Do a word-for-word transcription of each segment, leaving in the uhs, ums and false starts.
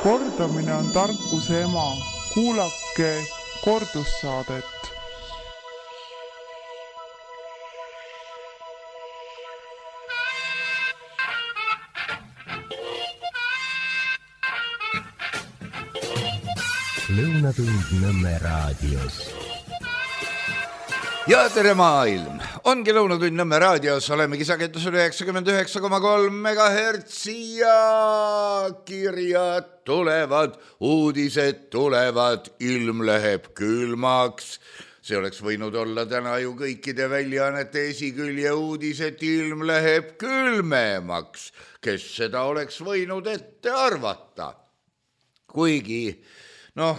Kordamine on tarkuse ema. Kuulake kordussaadet. Lõunatund Nõmme raadios. Ja tere maailm! Ongi Lõunatund Nõmme raadios, olemegi sagedusel üheksakümmend üheksa koma kolm megahertsi ja kirjad tulevad, uudised tulevad, ilm läheb külmaks. See oleks võinud olla täna ju kõikide väljaannete esikülje uudis, et ilm läheb külmemaks. Kes seda oleks võinud ette arvata? Kuigi noh,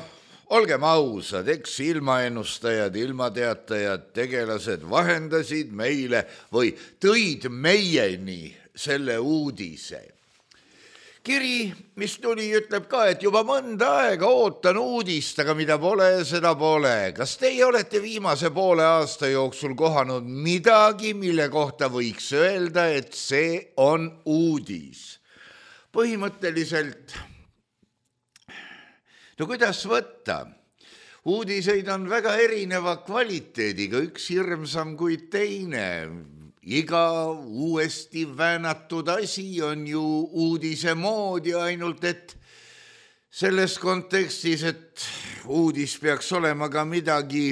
olgem ausad, eks ilmaennustajad, ilmateatajad, tegelased vahendasid meile või tõid meieni selle uudise. Kiri, mis tuli, ütleb ka, et juba mõnda aega ootan uudist, aga mida pole, seda pole. Kas teie olete viimase poole aasta jooksul kohanud midagi, mille kohta võiks öelda, et see on uudis? Põhimõtteliselt no kuidas võtta? Uudiseid on väga erineva kvaliteediga, üks hirmsam kui teine. Iga uuesti väänatud asi on ju uudise moodi, ainult et selles kontekstis, et uudis peaks olema ka midagi,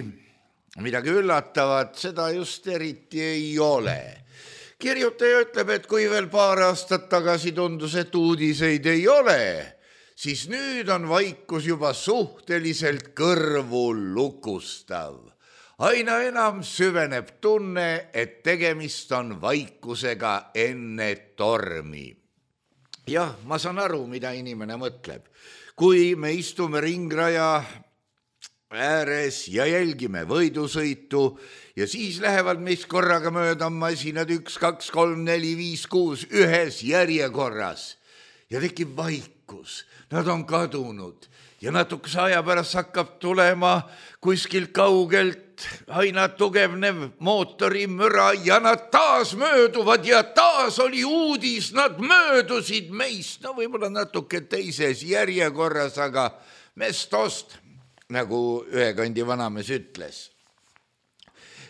midagi üllatavat, seda just eriti ei ole. Kirjutaja ütleb, et kui veel paar aastat tagasi tundus, et uudiseid ei ole, siis nüüd on vaikus juba suhteliselt kõrvu lukustav. Aina enam süveneb tunne, et tegemist on vaikusega enne tormi. Jah, ma saan aru, mida inimene mõtleb. Kui me istume ringraja ääres ja jälgime võidusõitu ja siis lähevad meist korraga mööda masinad üks, kaks, kolm, neli, viis, kuus ühes järjekorras ja tekib vaikus. Nad on kadunud ja natukese aja pärast hakkab tulema kuskilt kaugelt aina tugevnev mootorimüra ja nad taas mööduvad ja taas oli uudis, nad möödusid meist, no võib-olla natuke teises järjekorras, aga mestost, nagu ühe kandi vanamees ütles.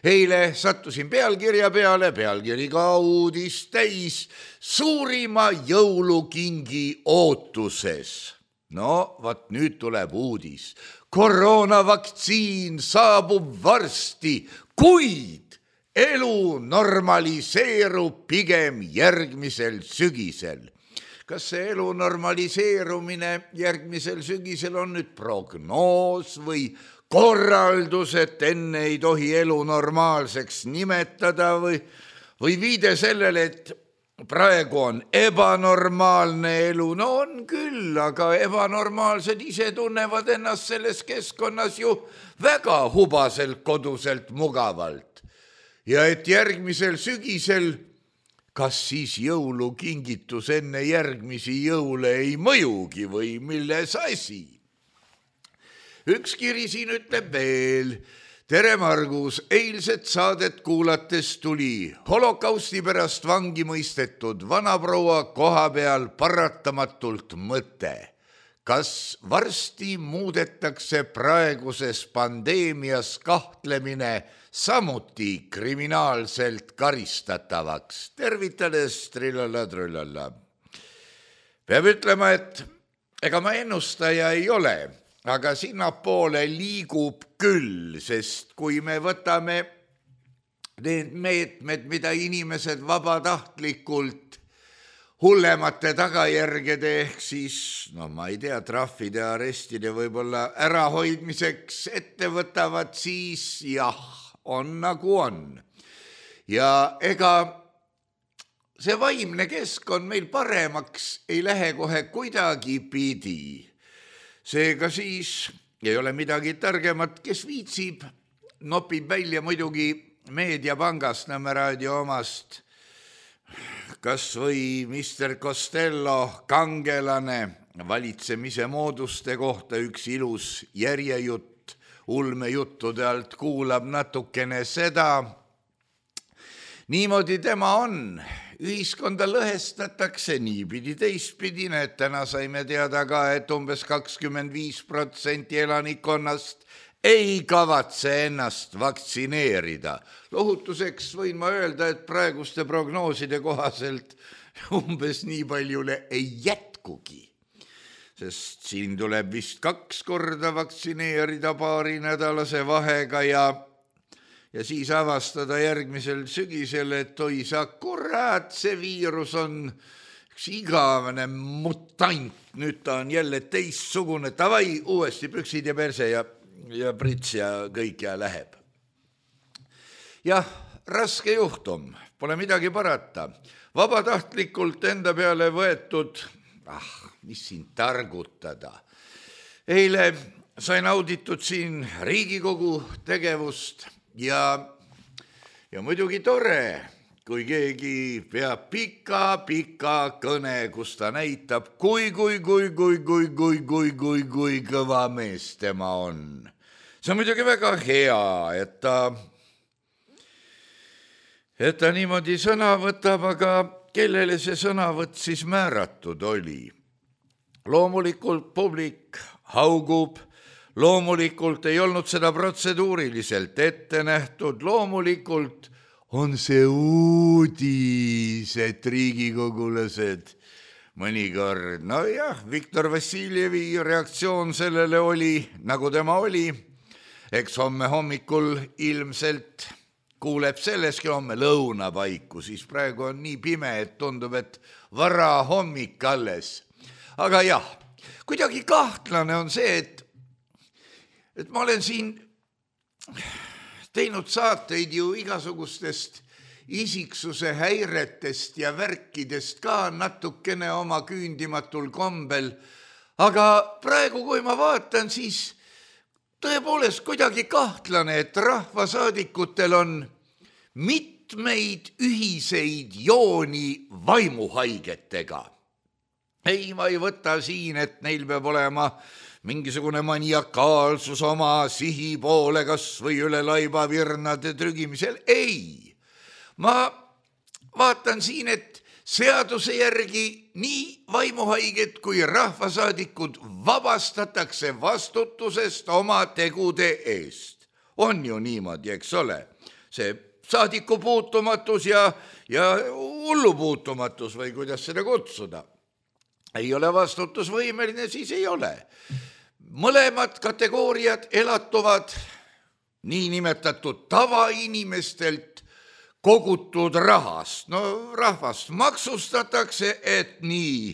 Eile sattusin pealkirja peale, pealkiri ka uudis täis, suurima jõulukingi ootuses. No, vaat nüüd tuleb uudis. Koroonavaktsiin saabub varsti, kuid elu normaliseerub pigem järgmisel sügisel. Kas see elu normaliseerumine järgmisel sügisel on nüüd prognoos või korraldus, et enne ei tohi elu normaalseks nimetada või, või viide sellele, et praegu on ebanormaalne elu? No on küll, aga ebanormaalsed ise tunnevad ennast selles keskkonnas ju väga hubaselt, koduselt, mugavalt. Ja et järgmisel sügisel, kas siis jõulukingitus enne järgmisi jõule ei mõjugi või milles asi? Üks kiri siin ütleb veel. Tere Margus, eilset saadet kuulates tuli holokausti pärast vangi mõistetud vanaproua koha peal paratamatult mõte. Kas varsti muudetakse praeguses pandeemias kahtlemine samuti kriminaalselt karistatavaks? Tervitades, trillalla-trullalla. Peab ütlema, et ega ma ennustaja ei ole, aga sinnapoole liigub küll, sest kui me võtame need meetmed, mida inimesed vabatahtlikult hullemate tagajärgede ehk siis, no ma ei tea, trahvide, arestide võib-olla ärahoidmiseks ette võtavad, siis jah, on nagu on. Ja ega see vaimne keskkond meil paremaks ei lähe kohe kuidagi pidi. Seega siis ei ole midagi targemat, kes viitsib, nopib välja muidugi Meediapangast Nõmme raadio omast, kas või mister Costello kangelane valitsemise mooduste kohta üks ilus järjejutt, ulmejuttude alt kuulab natukene seda. Niimoodi tema on ühiskonda lõhestatakse niipidi teistpidi, et täna saime teada ka, et umbes kakskümmend viis protsenti elanikkonnast ei kavatse ennast vaktsineerida. Lohutuseks võin ma öelda, et praeguste prognooside kohaselt umbes nii paljule ei jätkugi, sest siin tuleb vist kaks korda vaktsineerida paari nädalase vahega ja ja siis avastada järgmisel sügisel, et oi sa kurat, see viirus on üks igavene mutant, nüüd ta on jälle teistsugune, tavai, uuesti püksid ja perse ja, ja prits ja kõik ja läheb. Jah, raske juhtum, pole midagi parata. Vabatahtlikult enda peale võetud, ah, mis siin targutada. Eile sain auditud siin Riigikogu tegevust ja, ja muidugi tore, kui keegi peab pika-pika kõne, kus ta näitab, kui, kui, kui, kui, kui, kui, kui, kui, kui kõva mees tema on. See on muidugi väga hea, et ta, et ta niimoodi sõna võtab, aga kellele see sõnavõtt siis määratud oli? Loomulikult publik haugub, loomulikult ei olnud seda protseduuriliselt ette nähtud, loomulikult on see uudis, et riigikogulased mõnikord, no jah, Viktor Vassiljevi reaktsioon sellele oli, nagu tema oli, eks homme hommikul ilmselt kuuleb selleski homme lõuna paiku, siis praegu on nii pime, et tundub, et vara hommik alles. Aga jah, kuidagi kahtlane on see, et et ma olen siin teinud saateid ju igasugustest isiksuse häiretest ja värkidest ka natukene oma küündimatul kombel, aga praegu, kui ma vaatan, siis tõepoolest kuidagi kahtlane, et rahvasaadikutel on mitmeid ühiseid jooni vaimuhaigetega. Ei, ma ei võta siin, et neil peab olema mingisugune maniakaalsus oma sihi poole kas või üle laiba virnade trügimisel. Ei, ma vaatan siin, et seaduse järgi nii vaimuhaiged kui rahvasaadikud vabastatakse vastutusest oma tegude eest. On ju niimoodi, eks ole? See saadiku puutumatus ja, ja hullu puutumatus või kuidas seda kutsuda. Ei ole vastutusvõimeline, siis ei ole. Mõlemad kategooriad elatuvad niinimetatud tavainimestelt kogutud rahast. No rahvast maksustatakse, et nii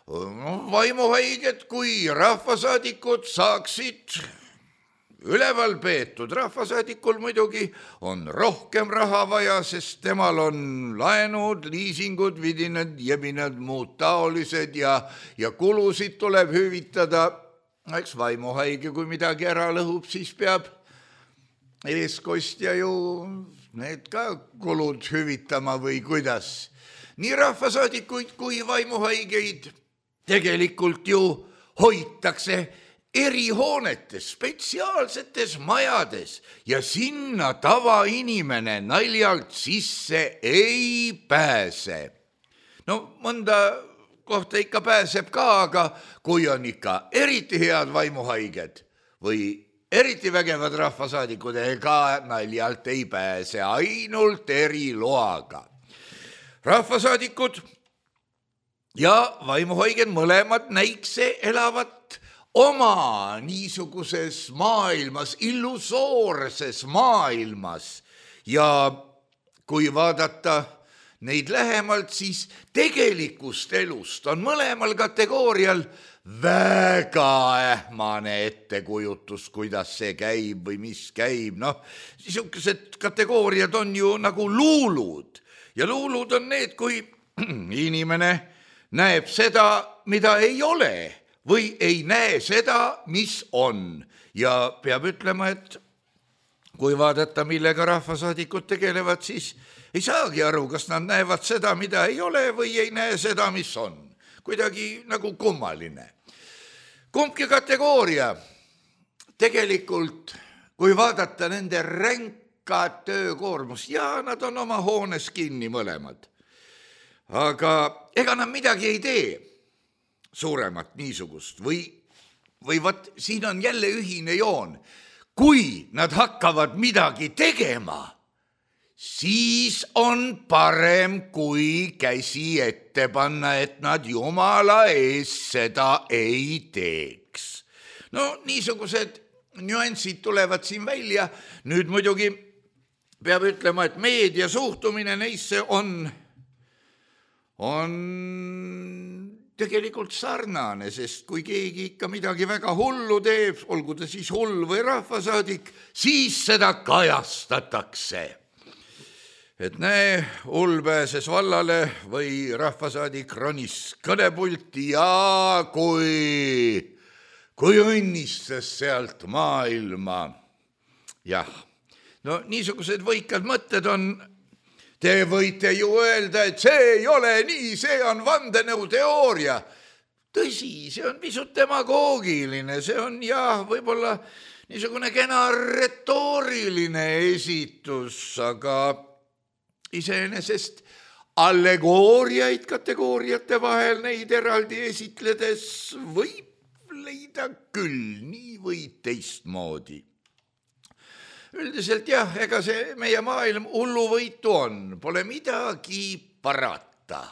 no, vaimuhaiged kui rahvasaadikud saaksid üleval peetud. Rahvasaadikul muidugi on rohkem raha vaja, sest temal on laenud, liisingud, vidinad, jebinad, muud taolised ja, ja kulusid tuleb hüvitada. Eks vaimuhaige, kui midagi ära lõhub, siis peab eeskostja ju need ka kulud hüvitama või kuidas. Nii rahvasaadikuid kui vaimuhaigeid tegelikult ju hoitakse erihoonetes, spetsiaalsetes majades ja sinna tavainimene naljalt sisse ei pääse. No mõnda kohta ikka pääseb ka, aga kui on ikka eriti head vaimuhaiged või eriti vägevad rahvasaadikud, ega naljalt ei pääse, ainult eriloaga. Rahvasaadikud ja vaimuhaiged mõlemad näikse elavat oma niisuguses maailmas, illusoorses maailmas ja kui vaadata neid lähemalt, siis tegelikust elust on mõlemal kategoorial väga ähmane ettekujutus, kuidas see käib või mis käib. Noh, niisugused kategooriad on ju nagu luulud ja luulud on need, kui inimene näeb seda, mida ei ole või ei näe seda, mis on. Ja peab ütlema, et kui vaadata, millega rahvasaadikud tegelevad, siis ei saagi aru, kas nad näevad seda, mida ei ole või ei näe seda, mis on. Kuidagi nagu kummaline. Kumbki kategooria tegelikult, kui vaadata nende ränka töökoormust, ja nad on oma hoones kinni mõlemad. aga ega nad midagi ei tee suuremat niisugust või, või vat siin on jälle ühine joon. Kui nad hakkavad midagi tegema, siis on parem, kui käsi ette panna, et nad Jumala ees seda ei teeks. No niisugused nüansid tulevad siin välja. Nüüd muidugi peab ütlema, et meedia suhtumine neisse on, on tegelikult sarnane, sest kui keegi ikka midagi väga hullu teeb, olgu ta siis hull või rahvasaadik, siis seda kajastatakse. Et näe, hull pääses vallale või rahvasaadik ronis kõnepulti ja kui, kui õnnistas sealt maailma. Jah, no niisugused võikad mõtted on. Te võite ju öelda, et see ei ole nii, see on vandenõuteooria. Tõsi, see on pisut demagoogiline, see on jah, võib-olla niisugune kena retooriline esitus, aga iseenesest allegooriaid kategooriate vahel neid eraldi esitledes võib leida küll nii või teistmoodi. Üldiselt jah, ega see meie maailm hulluvõitu on, pole midagi parata.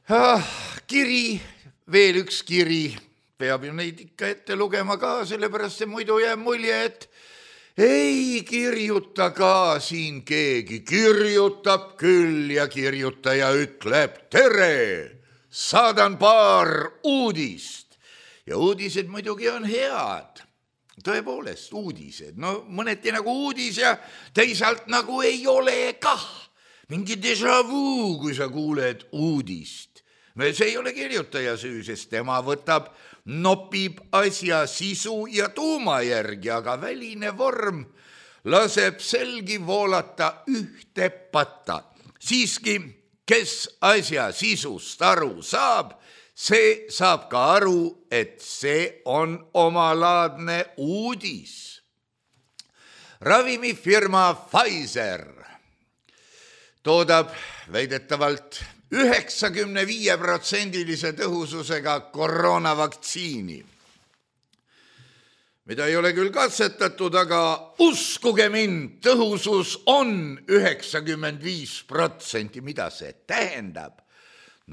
Ah, kiri, veel üks kiri, peab ju neid ikka ette lugema ka, sellepärast see muidu jääb mulje, et ei kirjuta ka siin keegi, kirjutab küll ja kirjutaja ütleb tere, saadan paar uudist ja uudised muidugi on head. Tõepoolest, uudised, no mõneti nagu uudis ja teisalt nagu ei ole kah. Mingi déjà vu, kui sa kuuled uudist. See ei ole kirjutaja süü, sest tema võtab, nopib asja sisu ja tuuma järgi, aga väline vorm laseb selgi voolata ühte patta. Siiski, kes asja sisust aru saab, see saab ka aru, et see on omalaadne uudis. Ravimifirma Pfizer toodab väidetavalt üheksakümne viie protsendilise tõhususega koroonavaktsiini, mida ei ole küll katsetatud, aga uskuge mind, tõhusus on üheksakümmend viis protsenti. Mida see tähendab?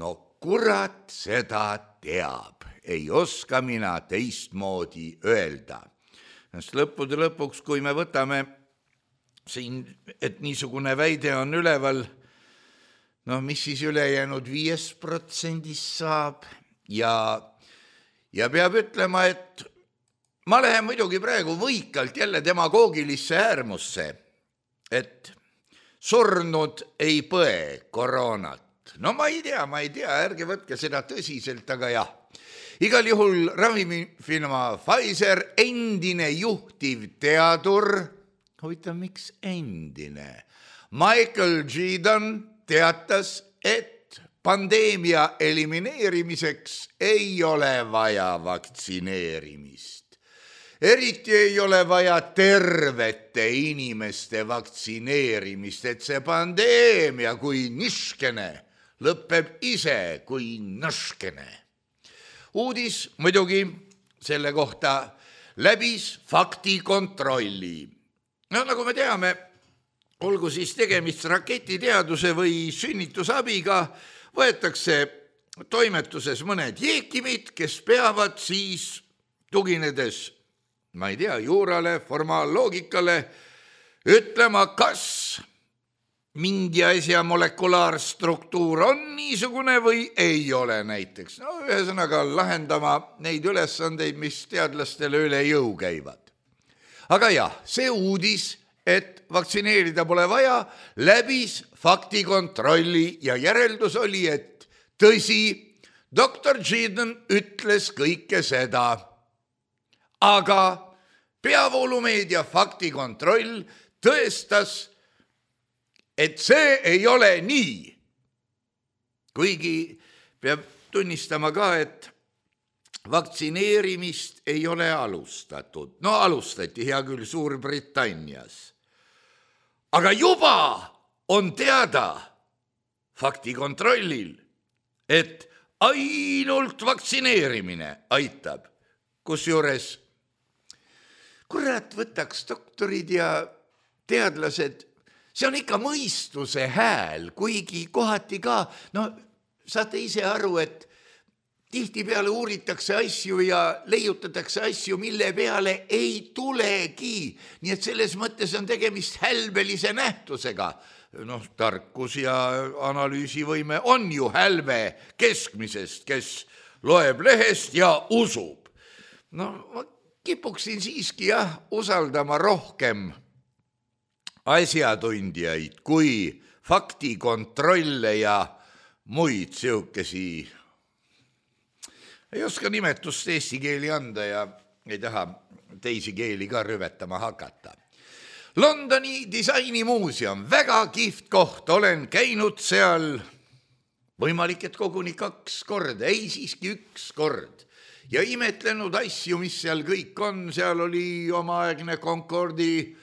No kurat seda teab, ei oska mina teistmoodi öelda. Sest lõppude lõpuks, kui me võtame siin, et niisugune väide on üleval, no mis siis ülejäänud viis protsendist saab ja, ja peab ütlema, et ma lähen muidugi praegu võikalt jälle demagoogilisse äärmusse, et surnud ei põe koroonat. No ma ei tea, ma ei tea, ärge võtke seda tõsiselt, aga jah. Igal juhul ravimifirma Pfizer endine juhtiv teadur, huvitav, miks endine? Michael Gordon teatas, et pandeemia elimineerimiseks ei ole vaja vaktsineerimist. Eriti ei ole vaja tervete inimeste vaktsineerimist, et see pandeemia kui niškene lõpeb ise kui nõškene. Uudis muidugi selle kohta läbis faktikontrolli. No nagu me teame, olgu siis tegemist raketiteaduse või sünnitusabiga, võetakse toimetuses mõned jeekimid, kes peavad siis tuginedes, ma ei tea, juurale, formaalloogikale, ütlema, kas mingi asja molekulaarstruktuur on niisugune või ei ole näiteks. No ühesõnaga lahendama neid ülesandeid, mis teadlastele üle jõu käivad. Aga jah, see uudis, et vaktsineerida pole vaja, läbis faktikontrolli ja järeldus oli, et tõsi, doktor Gordon ütles kõike seda, aga peavoolumeedia faktikontroll tõestas, et see ei ole nii. Kuigi peab tunnistama ka, et vaktsineerimist ei ole alustatud. No alustati hea küll Suurbritannias. Aga juba on teada faktikontrollil, et ainult vaktsineerimine aitab. Kusjuures kurat võtaks doktorid ja teadlased, see on ikka mõistuse hääl, kuigi kohati ka, no saate ise aru, et tihtipeale uuritakse asju ja leiutatakse asju, mille peale ei tulegi. Nii et selles mõttes on tegemist hälbelise nähtusega. Noh, tarkus ja analüüsivõime on ju hälve keskmisest, kes loeb lehest ja usub. No, ma kipuksin siiski jah, usaldama rohkem asjatundjaid kui faktikontrolle ja muid siukesi. Ei oska nimetust eesti keeli anda ja ei taha teisi keeli ka rüvetama hakata. Londoni disainimuuseum, väga kihvt koht, olen käinud seal võimalik, et koguni kaks korda, ei siiski üks kord. Ja imetlenud asju, mis seal kõik on, seal oli omaaegne Concordi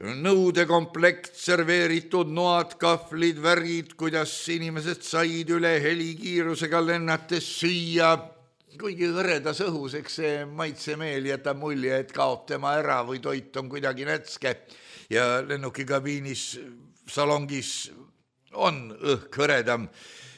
nõudekomplekt, serveeritud noad, kahvlid, värgid, kuidas inimesed said üle helikiirusega lennates süüa. Kuigi hõredas õhus, eks see maitsemeel jätab mulje, et kaob tema ära või toit on kuidagi nätske ja lennukikabiinis, salongis on õhk hõredam.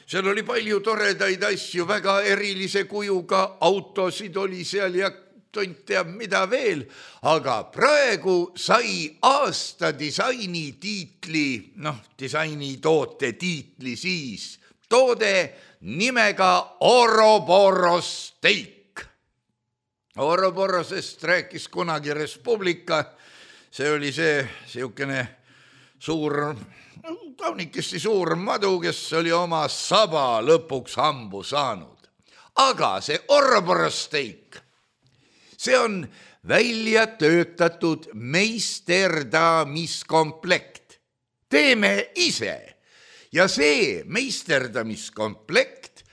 Seal oli palju toredaid asju, väga erilise kujuga, autosid oli seal ja tont teab mida veel, aga praegu sai aasta disaini tiitli, noh, disaini toote tiitli siis, toode nimega Ouroboros steak. Ouroborosest rääkis kunagi Respublika, see oli see siukene suur, kaunikesti suur madu, kes oli oma saba lõpuks hambu saanud. Aga see Ouroboros steak, see on välja töötatud meisterdamiskomplekt. Teeme ise. Ja see meisterdamiskomplekt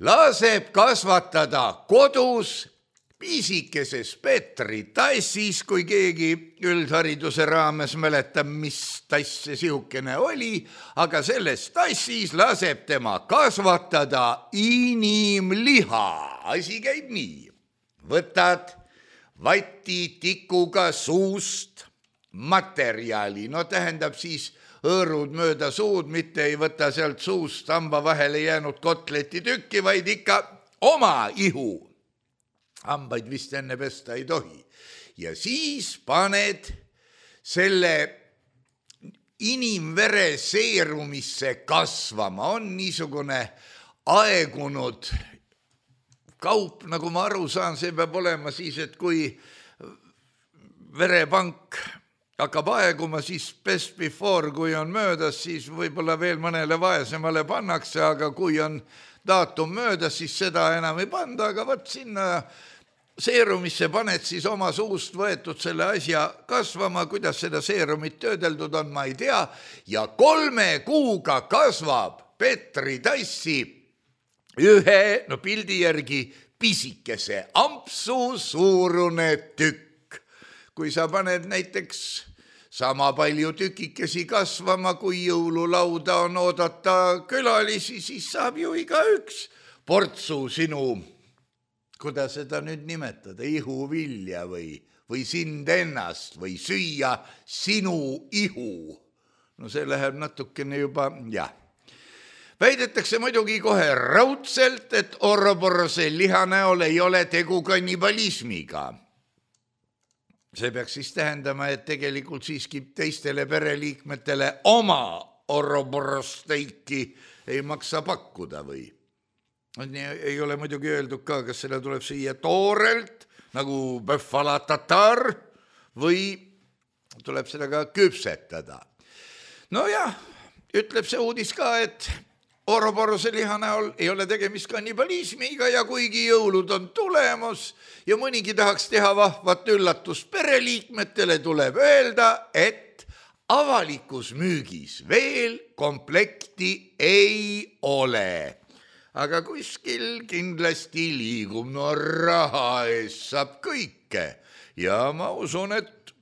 laseb kasvatada kodus piisikeses Petri tassis, kui keegi üldhariduse raames mäletab, mis tass see siukene oli, aga selles tassis laseb tema kasvatada inimliha. Asi käib nii. Võtad vatitikuga suust materjali, no tähendab siis õõrud mööda suud, mitte ei võta sealt suust hamba vahele jäänud kotleti tükki, vaid ikka oma ihu. Hambaid vist enne pesta ei tohi. Ja siis paned selle inimvere seerumisse kasvama. On niisugune aegunud kaup, nagu ma aru saan, see peab olema siis, et kui verepank hakkab aeguma, siis best before, kui on möödas, siis võib-olla veel mõnele vaesemale pannakse, aga kui on daatum möödas, siis seda enam ei panda, aga võt sinna seerumisse paned siis oma suust võetud selle asja kasvama, kuidas seda seerumit töödeldud on, ma ei tea, ja kolme kuuga kasvab Petri tassi ühe, no pildi järgi pisikese ampsu suurune tükk. Kui sa paned näiteks sama palju tükikesi kasvama, kui jõululauda on oodata külalisi, siis saab ju iga üks portsu sinu, kuidas seda nüüd nimetada, ihuvilja või, või sind ennast või süüa sinu ihu. No see läheb natukene juba, jah. Väidetakse muidugi kohe raudselt, et Ouroborose liha näol ei ole tegu kannibalismiga. See peaks siis tähendama, et tegelikult siiski teistele pereliikmetele oma Ouroboros steiki ei maksa pakkuda või? Ei ole muidugi öeldud ka, kas selle tuleb süüa toorelt, nagu bœuf-à-la tatar, või tuleb seda ka küpsetada. No jah, ütleb see uudis ka, et Ouroborose liha näol ei ole tegemist kannibalismiga ja kuigi jõulud on tulemus ja mõnigi tahaks teha vahvat üllatust pereliikmetele, tuleb öelda, et avalikus müügis veel komplekti ei ole. Aga kuskil kindlasti liigub, no raha eest saab kõike ja ma usun, et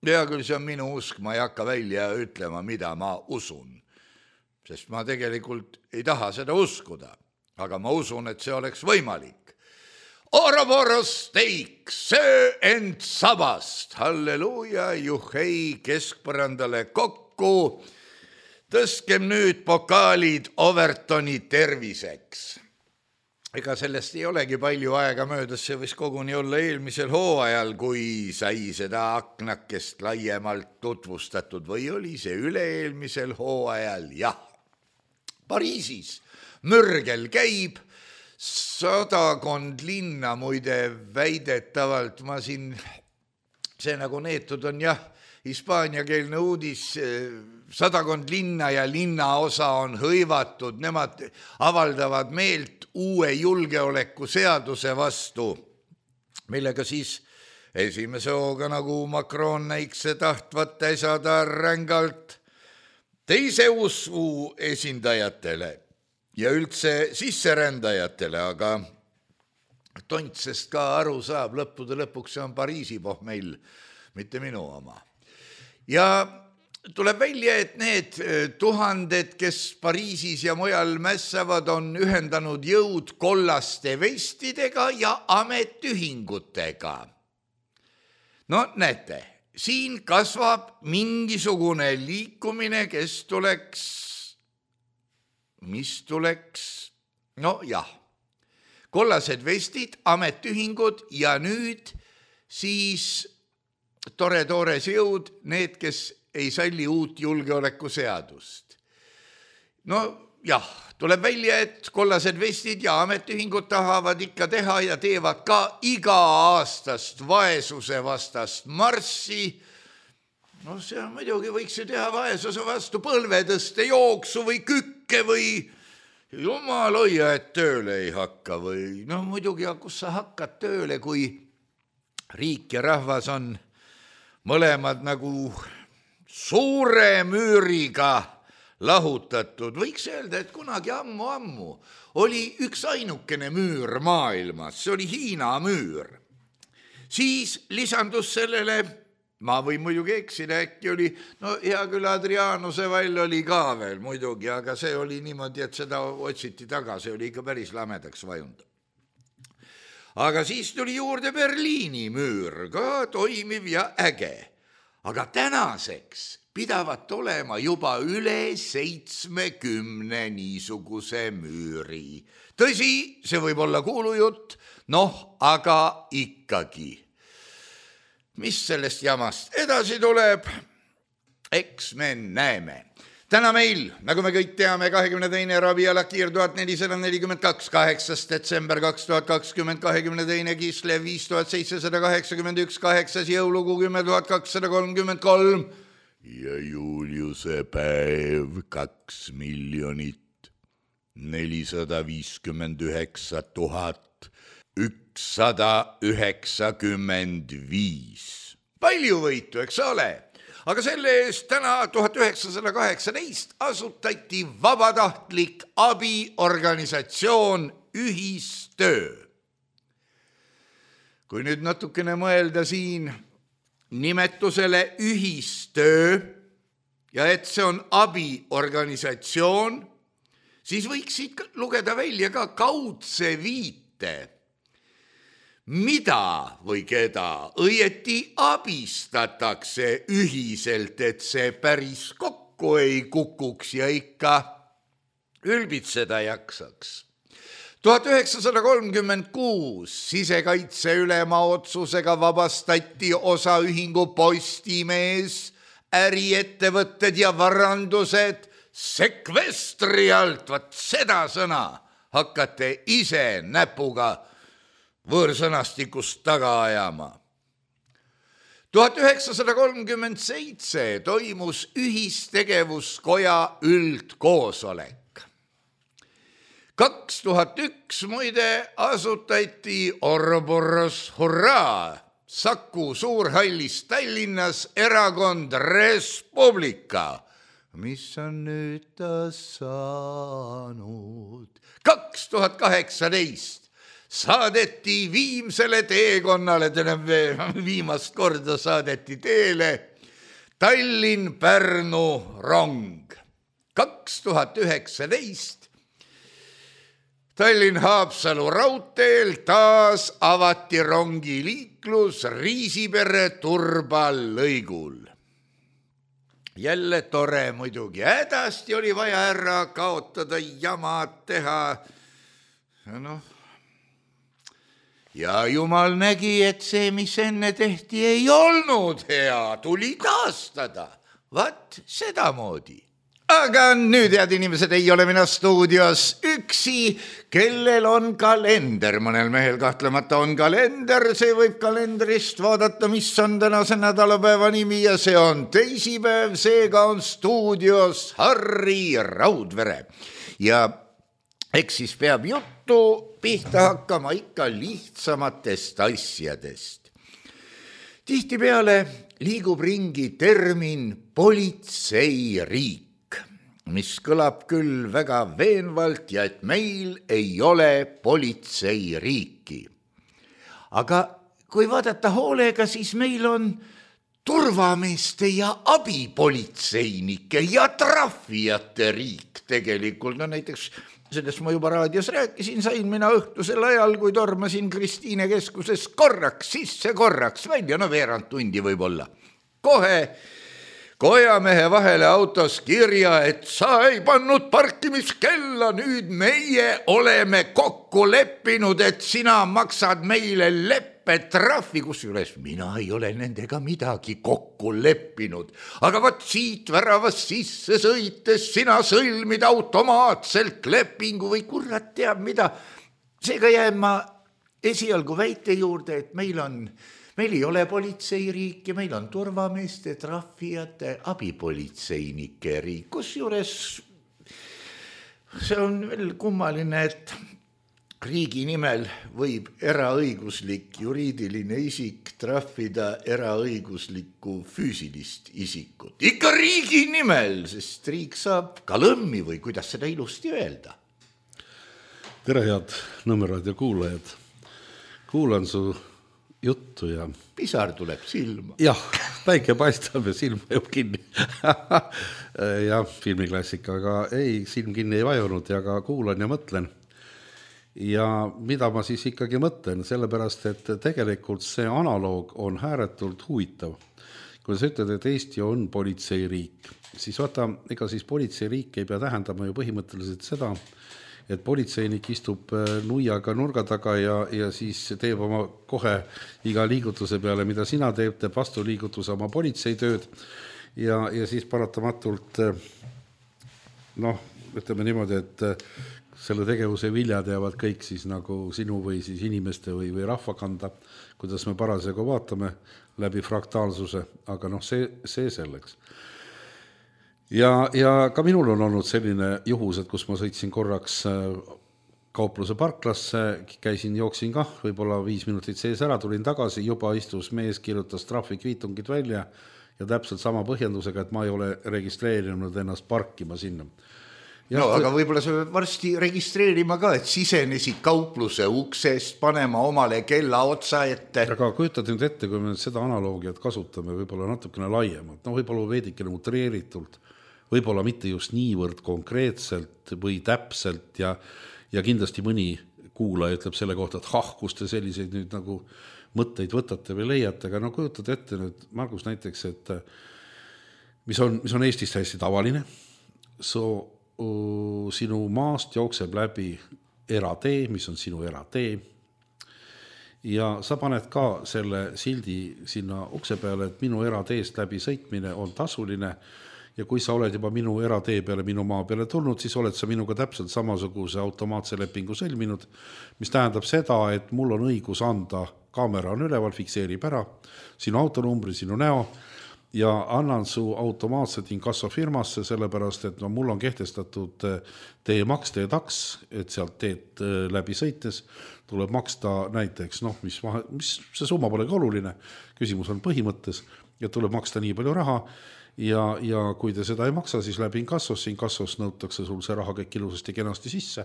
hea küll, see on minu usk, ma ei hakka välja ütlema, mida ma usun. sest ma tegelikult ei taha seda uskuda, aga ma usun, et see oleks võimalik. Ouroboros steik, söö end sabast, halleluuja, juhei, keskpõrandale kokku, tõstkem nüüd pokaalid Overtoni terviseks. Ega sellest ei olegi palju aega möödas, see võis koguni olla eelmisel hooajal, kui sai seda aknakest laiemalt tutvustatud või oli see üle-eelmisel hooajal, jah. Pariisis mürgel käib, sadakond linna muide väidetavalt, ma siin, see nagu neetud on jah, hispaaniakeelne uudis, sadakond linna ja linnaosa on hõivatud, nemad avaldavad meelt uue julgeolekuseaduse vastu, millega siis esimese hooga nagu Macron näikse tahtvat äsada rängalt teise usu esindajatele ja üldse sisserändajatele, aga tontsest ka aru saab, lõppude lõpuks see on Pariisi pohmell, mitte minu oma. Ja tuleb välja, et need tuhanded, kes Pariisis ja mujal mässavad, on ühendanud jõud kollaste vestidega ja ametühingutega. No näete, siin kasvab mingisugune liikumine, kes tuleks, mis tuleks, no jah, kollased vestid, ametühingud ja nüüd siis tore-tores jõud, need, kes ei salli uut julgeolekuseadust. No jah, tuleb välja, et kollased vestid ja ametühingud tahavad ikka teha ja teevad ka iga-aastast vaesuse vastast marssi. No see on muidugi, võiks ju teha vaesuse vastu põlvetõste jooksu või kükke või jumal hoia, et tööle ei hakka või no muidugi, kus sa hakkad tööle, kui riik ja rahvas on mõlemad nagu suure müüriga lahutatud. Võiks öelda, et kunagi ammu-ammu oli üks ainukene müür maailmas, see oli Hiina müür. Siis lisandus sellele, ma võin muidugi eksida, äkki oli, no hea küll Adrianuse vall oli ka veel muidugi, aga see oli niimoodi, et seda otsiti taga, see oli ikka päris lamedaks vajunud. Aga siis tuli juurde Berliini müür, ka toimiv ja äge. Aga tänaseks pidavat olema juba üle seitsmekümne niisuguse müüri. Tõsi, see võib olla kuulujutt, noh, aga ikkagi. Mis sellest jamast edasi tuleb? Eks me näeme. Täna meil, nagu me kõik teame, kahekümne teine Rabiala Kiir tuhat nelisada nelikümmend kaks, kaheksas detsember kaks tuhat kakskümmend, kahekümne teine Kislev viis tuhat seitsesada kaheksakümmend üks, kaheksas jõulugu kümme tuhat kakssada kolmkümmend kolm ja Juliuse päev kaks miljonit nelisada viiskümmend üheksa tuhat ükssada üheksakümmend viis. Palju võitu, eks ole? Aga selle eest täna tuhat üheksasada kaheksateist asutati vabatahtlik abiorganisatsioon Ühistöö. Kui nüüd natukene mõelda siin nimetusele Ühistöö ja et see on abiorganisatsioon, siis võiks siit lugeda välja ka kaudse viite. Mida või keda õieti abistatakse ühiselt, et see päris kokku ei kukuks ja ikka ülbitseda jaksaks. tuhat üheksasada kolmkümmend kuus sisekaitse ülema otsusega vabastati osaühingu Postimees, äriettevõtted ja varandused sekvestri alt. Vat seda sõna hakkate ise näpuga võõrsõnastikust taga ajama. tuhat üheksasada kolmkümmend seitse toimus ühistegevuskoja üldkoosolek. kaks tuhat üks muide asutati Ouroboros hurraa Saku Suurhallis Tallinnas erakond Res Publica, mis on nüüd ta saanud. kaks tuhat kaheksateist saadeti viimsele teekonnale, viimast korda saadeti teele Tallinn-Pärnu rong. kaks tuhat üheksateist Tallinn-Haapsalu raudteel taas avati rongiliiklus Riisipere-Turba lõigul. Jälle tore muidugi, hädasti oli vaja ära kaotada, jamad teha. Noh. Ja jumal nägi, et see, mis enne tehti, ei olnud hea, tuli taastada. Vat sedamoodi. Aga nüüd, head inimesed, ei ole mina stuudios üksi, kellel on kalender. Mõnel mehel kahtlemata on kalender, see võib kalendrist vaadata, mis on tänase nädalapäeva nimi ja see on teisipäev, seega on stuudios Harri Raudvere. Ja eks siis peab juttu pihta hakkama ikka lihtsamatest asjadest. Tihtipeale liigub ringi termin politseiriik, mis kõlab küll väga veenvalt ja et meil ei ole politseiriiki. Aga kui vaadata hoolega, siis meil on turvameeste ja abipolitseinike ja trahvijate riik tegelikult. No näiteks sellest ma juba raadios rääkisin, sain mina õhtusel ajal, kui tormasin Kristiine keskuses korraks sisse, korraks välja, no veerand tundi võib-olla. Kohe kojamehe vahele autos kirja, et sa ei pannud parkimiskella, nüüd meie oleme kokku leppinud, et sina maksad meile leppetrahvi, kusjuures mina ei ole nendega midagi kokku leppinud. Aga võt siit väravast sisse sõites sina sõlmid automaatselt lepingu või kurat teab mida. Seega jään ma esialgu väite juurde, et meil on Meil ei ole politseiriik ja meil on turvameeste, trahvijate, abipolitseinike riik. Kusjuures see on veel kummaline, et riigi nimel võib eraõiguslik juriidiline isik trahvida eraõiguslikku füüsilist isikut. Ikka riigi nimel, sest riik saab kalõmmi või kuidas seda ilusti öelda. Tere, head Nõmmeraadio kuulajad. Kuulan su juttu ja pisar tuleb silma. Jah, päike paistab ja silm vajub kinni. Ja filmiklassika, aga ei, silm kinni ei vajunud ja ka kuulan ja mõtlen. Ja mida ma siis ikkagi mõtlen, sellepärast, et tegelikult see analoog on ääretult huvitav. Kui sa ütled, et Eesti on politseiriik, siis vaata, ega siis politseiriik ei pea tähendama ju põhimõtteliselt seda, et politseinik istub nuiaga nurga taga ja, ja siis teeb oma kohe iga liigutuse peale, mida sina teeb, teeb vastu liigutuse oma politseitööd ja, ja siis paratamatult noh, ütleme niimoodi, et selle tegevuse viljad jäävad kõik siis nagu sinu või siis inimeste või, või rahva kanda, kuidas me parasjagu vaatame läbi fraktaalsuse, aga noh, see, see selleks. Ja, ja ka minul on olnud selline juhus, et kus ma sõitsin korraks kaupluse parklasse, käisin, jooksin kah, võib-olla viis minutit sees ära, tulin tagasi, juba istus mees, kirjutas trahvikviitungid välja ja täpselt sama põhjendusega, et ma ei ole registreerinud ennast parkima sinna. Ja no, aga võib-olla sa pead varsti registreerima ka, et sisenesid kaupluse uksest, panema omale kella otsa ette. Aga kujutad nüüd ette, kui me seda analoogiat kasutame võib-olla natukene laiemalt, no võib-olla veidikene utreeritult, võib-olla mitte just niivõrd konkreetselt või täpselt ja, ja kindlasti mõni kuulaja ütleb selle kohta, et hah, kus te selliseid nüüd nagu mõtteid võtate või leiate, aga no kujutad ette nüüd, Margus, näiteks, et mis on, mis on Eestis hästi tavaline, so, uh, sinu maast jookseb läbi eratee, mis on sinu eratee ja sa paned ka selle sildi sinna ukse peale, et minu erateest läbi sõitmine on tasuline. Ja kui sa oled juba minu eratee peale, minu maa peale tulnud, siis oled sa minuga täpselt samasuguse automaatse lepingu sõlminud, mis tähendab seda, et mul on õigus anda, kaamera on üleval, fikseerib ära sinu autonumbri, sinu näo ja annan su automaatselt inkassofirmasse, sellepärast, et no mul on kehtestatud teemaks, teetaks, et sealt teed läbi sõites tuleb maksta näiteks, noh, mis, mis see summa pole ka oluline, küsimus on põhimõttes, et tuleb maksta nii palju raha, Ja, ja kui te seda ei maksa, siis läbi inkassos, inkassos nõutakse sul see raha kõik ilusasti kenasti sisse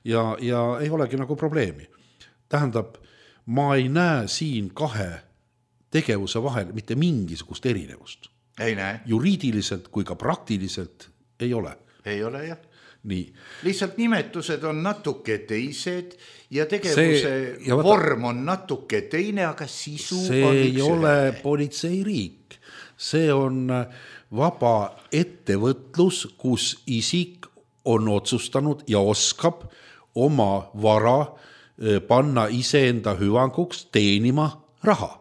ja, ja ei olegi nagu probleemi. Tähendab, ma ei näe siin kahe tegevuse vahel mitte mingisugust erinevust. Ei näe. Juriidiliselt kui ka praktiliselt ei ole. ei ole jah. Nii. Lihtsalt nimetused on natuke teised ja tegevuse see, ja vaata, vorm on natuke teine, aga sisu see on ei üks ole ühele. politseiriik. See on vaba ettevõtlus, kus isik on otsustanud ja oskab oma vara panna iseenda hüvanguks teenima raha.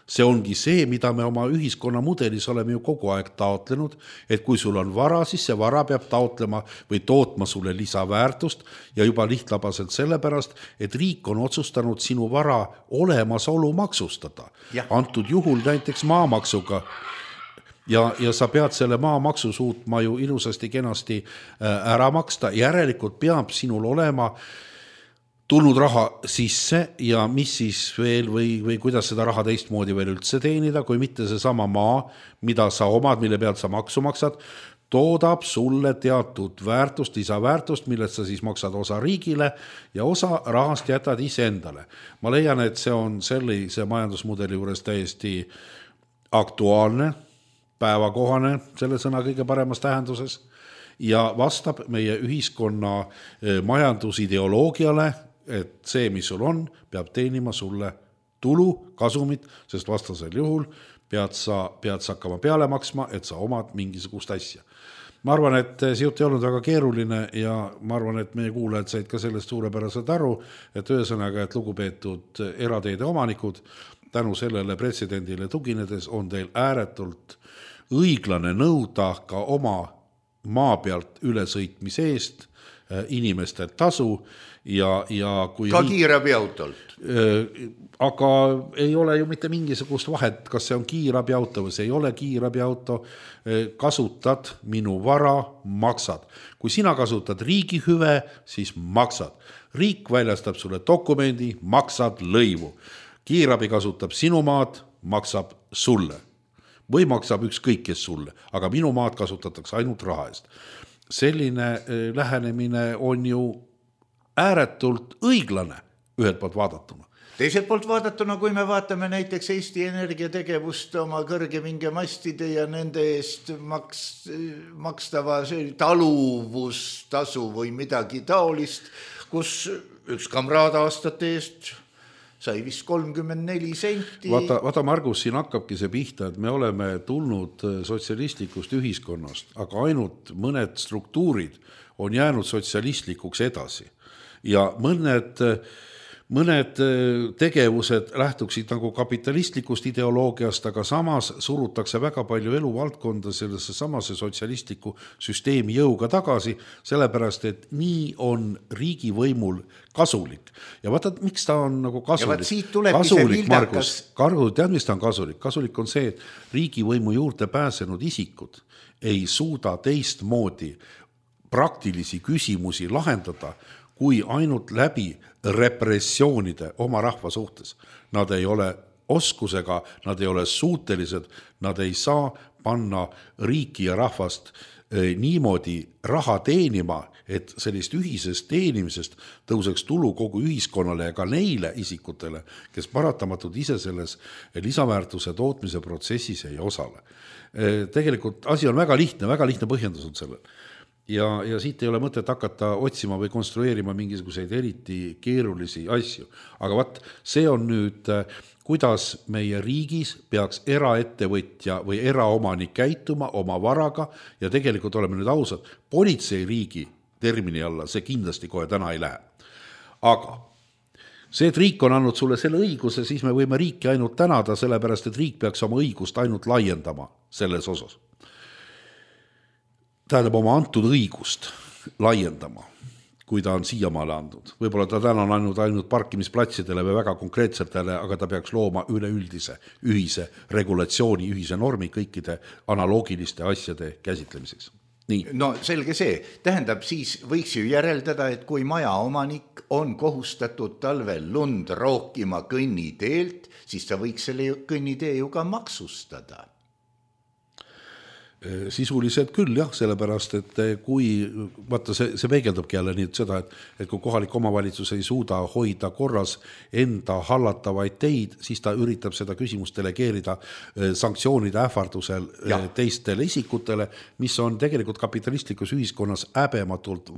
See ongi see, mida me oma ühiskonna mudelis oleme ju kogu aeg taotlenud, et kui sul on vara, siis see vara peab taotlema või tootma sulle lisaväärtust ja juba lihtlabaselt sellepärast, et riik on otsustanud sinu vara olemasolu maksustada. Ja. Antud juhul näiteks maamaksuga ja, ja sa pead selle maamaksu suutma ju ilusasti kenasti ära maksta. Järelikult peab sinul olema tulnud raha sisse ja mis siis veel või, või kuidas seda raha teistmoodi veel üldse teenida, kui mitte see sama maa, mida sa omad, mille pealt sa maksu maksad, toodab sulle teatud väärtust, lisaväärtust, millest sa siis maksad osa riigile ja osa rahast jätad ise endale. Ma leian, et see on sellise majandusmudeli juures täiesti aktuaalne, päevakohane, selle sõna kõige paremas tähenduses ja vastab meie ühiskonna majandusideoloogiale, et see, mis sul on, peab teenima sulle tulu, kasumit, sest vastasel juhul pead sa, pead sa hakkama peale maksma, et sa omad mingisugust asja. Ma arvan, et siit ei olnud väga keeruline ja ma arvan, et meie kuulajad said ka sellest suurepäraselt aru, et ühesõnaga, et lugupeetud erateede omanikud, tänu sellele pretsedendile tuginedes on teil ääretult õiglane nõuda ka oma maa pealt ülesõitmise eest inimeste tasu ja, ja kui ka kiirabiautolt. Aga ei ole ju mitte mingisugust vahet, kas see on kiirabiauto või see ei ole kiirabiauto, kasutad minu vara, maksad. Kui sina kasutad riigi hüve, siis maksad. Riik väljastab sulle dokumendi, maksad lõivu. Kiirabi kasutab sinu maad, maksab sulle. Või maksab ükskõik kes sulle, aga minu maad kasutatakse ainult raha eest. Selline lähenemine on ju ääretult õiglane ühelt poolt vaadatuna. Teiselt poolt vaadatuna, kui me vaatame näiteks Eesti Energia tegevust oma kõrgepingemastide ja nende eest maks, makstava taluvustasu või midagi taolist, kus üks kamraad aastate eest sai vist kolmkümmend neli senti. Vaata, vaata Margus, siin hakkabki see pihta, et me oleme tulnud sotsialistlikust ühiskonnast, aga ainult mõned struktuurid on jäänud sotsialistlikuks edasi. Ja mõned, mõned tegevused lähtuksid nagu kapitalistlikust ideoloogiast, aga samas surutakse väga palju eluvaldkonda sellesse samase sotsialistliku süsteemi jõuga tagasi, sellepärast, et nii on riigivõimul kasulik. Ja vaata, miks ta on nagu kasulik? Ja siit tulebki kasulik, see vildakas. Margus, tead, mis ta on kasulik? Kasulik on see, et riigivõimu juurde pääsenud isikud ei suuda teistmoodi praktilisi küsimusi lahendada, kui ainult läbi repressioonide oma rahva suhtes. Nad ei ole oskusega, nad ei ole suutelised, nad ei saa panna riiki ja rahvast niimoodi raha teenima, et sellist ühisest teenimisest tõuseks tulu kogu ühiskonnale ja ka neile isikutele, kes paratamatult ise selles lisaväärtuse tootmise protsessis ei osale. Tegelikult asi on väga lihtne, väga lihtne põhjendus on sellel. Ja, ja siit ei ole mõtet hakata otsima või konstrueerima mingisuguseid eriti keerulisi asju. Aga vaat, see on nüüd, kuidas meie riigis peaks eraettevõtja või eraomanik käituma oma varaga ja tegelikult oleme nüüd ausad, politseiriigi termini alla see kindlasti kohe täna ei lähe. Aga see, et riik on andnud sulle selle õiguse, siis me võime riiki ainult tänada, sellepärast, et riik peaks oma õigust ainult laiendama selles osas. Tähendab oma antud õigust laiendama, kui ta on siiamaale andnud. Võib-olla ta täna on andnud ainult parkimisplatsidele või väga konkreetsetele, aga ta peaks looma üleüldise ühise regulatsiooni, ühise normi kõikide analoogiliste asjade käsitlemiseks. Nii. No selge see, tähendab siis võiks ju järeldada, et kui maja omanik on kohustatud talvel lund rookima kõnniteelt, siis ta võiks selle kõnnitee ju ka maksustada. Sisuliselt küll jah, sellepärast, et kui, vaata see, see peegeldabki jälle nii, et seda, et, et kui kohalik omavalitsus ei suuda hoida korras enda hallatavaid teid, siis ta üritab seda küsimust delegeerida sanktsioonide ähvardusel ja. teistele isikutele, mis on tegelikult kapitalistlikus ühiskonnas häbematult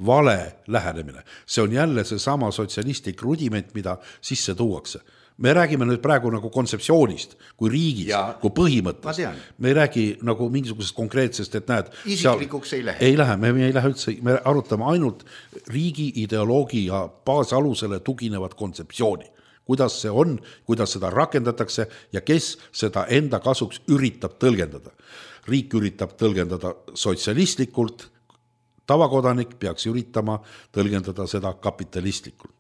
vale lähenemine. See on jälle see sama sotsialistlik rudiment, mida sisse tuuakse. Me räägime nüüd praegu nagu kontseptsioonist, kui riigis, ja, kui põhimõttest. Me ei räägi nagu mingisugusest konkreetsest, et näed... Isiklikuks ei lähe. Ei lähe, me ei lähe üldse, me arutame ainult riigi ideoloogia baasalusele tuginevat kontseptsiooni. Kuidas see on, kuidas seda rakendatakse ja kes seda enda kasuks üritab tõlgendada. Riik üritab tõlgendada sotsialistlikult, tavakodanik peaks üritama tõlgendada seda kapitalistlikult.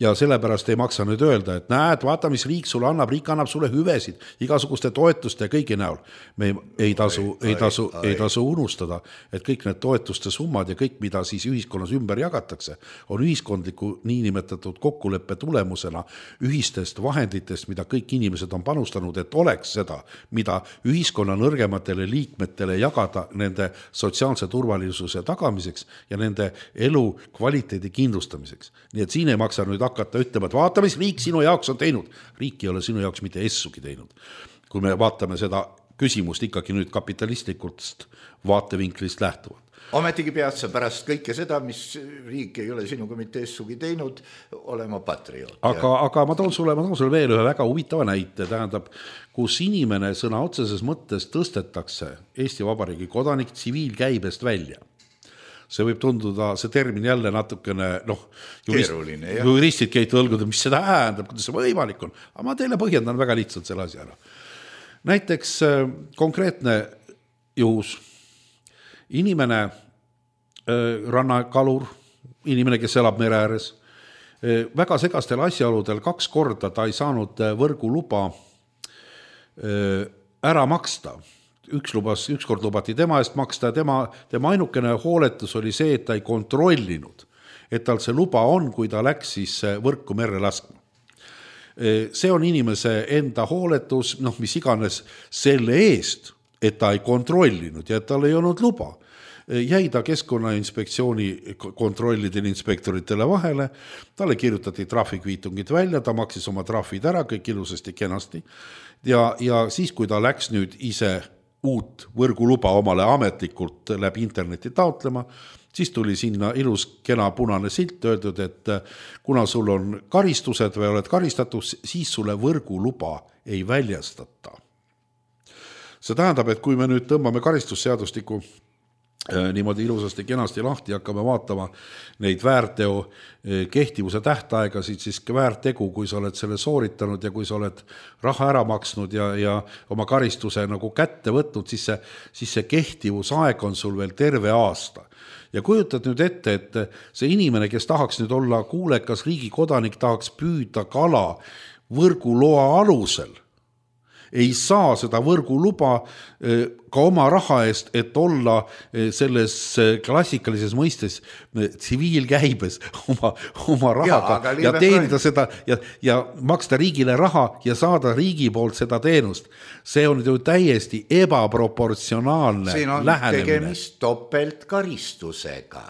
Ja sellepärast ei maksa nüüd öelda, et näed, vaata, mis riik sulle annab, riik annab sulle hüvesid, igasuguste toetuste ja kõigi näol. Me ei, ei, tasu, ai, ei, tasu, ai, ei tasu unustada, et kõik need toetuste summad ja kõik, mida siis ühiskonnas ümber jagatakse, on ühiskondliku niinimetatud kokkuleppe tulemusena ühistest vahenditest, mida kõik inimesed on panustanud, et oleks seda, mida ühiskonna nõrgematele liikmetele jagada nende sotsiaalse turvalisuse tagamiseks ja nende elu kvaliteedi kindlustamiseks. Nii et siin ei maksa nüüd hakata ütlema, et vaata, mis riik sinu jaoks on teinud. Riik ei ole sinu jaoks mitte essugi teinud. Kui me vaatame seda küsimust ikkagi nüüd kapitalistlikult vaatevinklist lähtuvalt. Ometigi pead sa pärast kõike seda, mis riik ei ole sinuga mitte essugi teinud, olema patrioot. Aga, aga ma toon sulle, ma toon sulle veel ühe väga huvitava näite, tähendab, kus inimene sõna otseses mõttes tõstetakse Eesti Vabariigi kodanik tsiviilkäibest välja. See võib tunduda, see termin jälle natukene, noh, jurist, juristid keid õlguda, mis seda häändab, kuidas see võimalik on. Aga ma teile põhjendan väga lihtsalt selle asja ära. Näiteks konkreetne juhus, inimene, rannakalur, inimene, kes elab mere ääres, väga segastel asjaoludel kaks korda ta ei saanud võrgu luba ära maksta. Üks, lubas, üks kord lubati tema eest maksta ja tema, tema ainukene hooletus oli see, et ta ei kontrollinud, et tal see luba on, kui ta läks siis võrku merre laskma. See on inimese enda hooletus, noh, mis iganes selle eest, et ta ei kontrollinud ja et tal ei olnud luba. Jäi ta Keskkonnainspektsiooni kontrollidele inspektoritele vahele, talle kirjutati trahvikviitungid välja, ta maksis oma trahvid ära, kõik ilusasti kenasti ja, ja siis, kui ta läks nüüd ise uut võrguluba omale ametlikult läbi interneti taotlema, siis tuli sinna ilus kena punane silt öeldud, et kuna sul on karistused või oled karistatud, siis sulle võrguluba ei väljastata. See tähendab, et kui me nüüd tõmbame karistusseadustiku niimoodi ilusasti kenasti lahti, hakkame vaatama neid väärteo kehtivuse tähtaegasid, siis väärtegu, kui sa oled selle sooritanud ja kui sa oled raha ära maksnud ja, ja oma karistuse nagu kätte võtnud, siis see, siis see kehtivusaeg on sul veel terve aasta. Ja kujutad nüüd ette, et see inimene, kes tahaks nüüd olla kuulekas riigi kodanik, tahaks püüda kala võrguloa alusel, ei saa seda võrguluba ka oma raha eest, et olla selles klassikalises mõistes tsiviilkäibes oma, oma rahaga ja, ja teenida seda ja, ja maksta riigile raha ja saada riigi poolt seda teenust. See on ju täiesti ebaproportsionaalne lähenemine. Siin on lähenemine. Tegemist topeltkaristusega.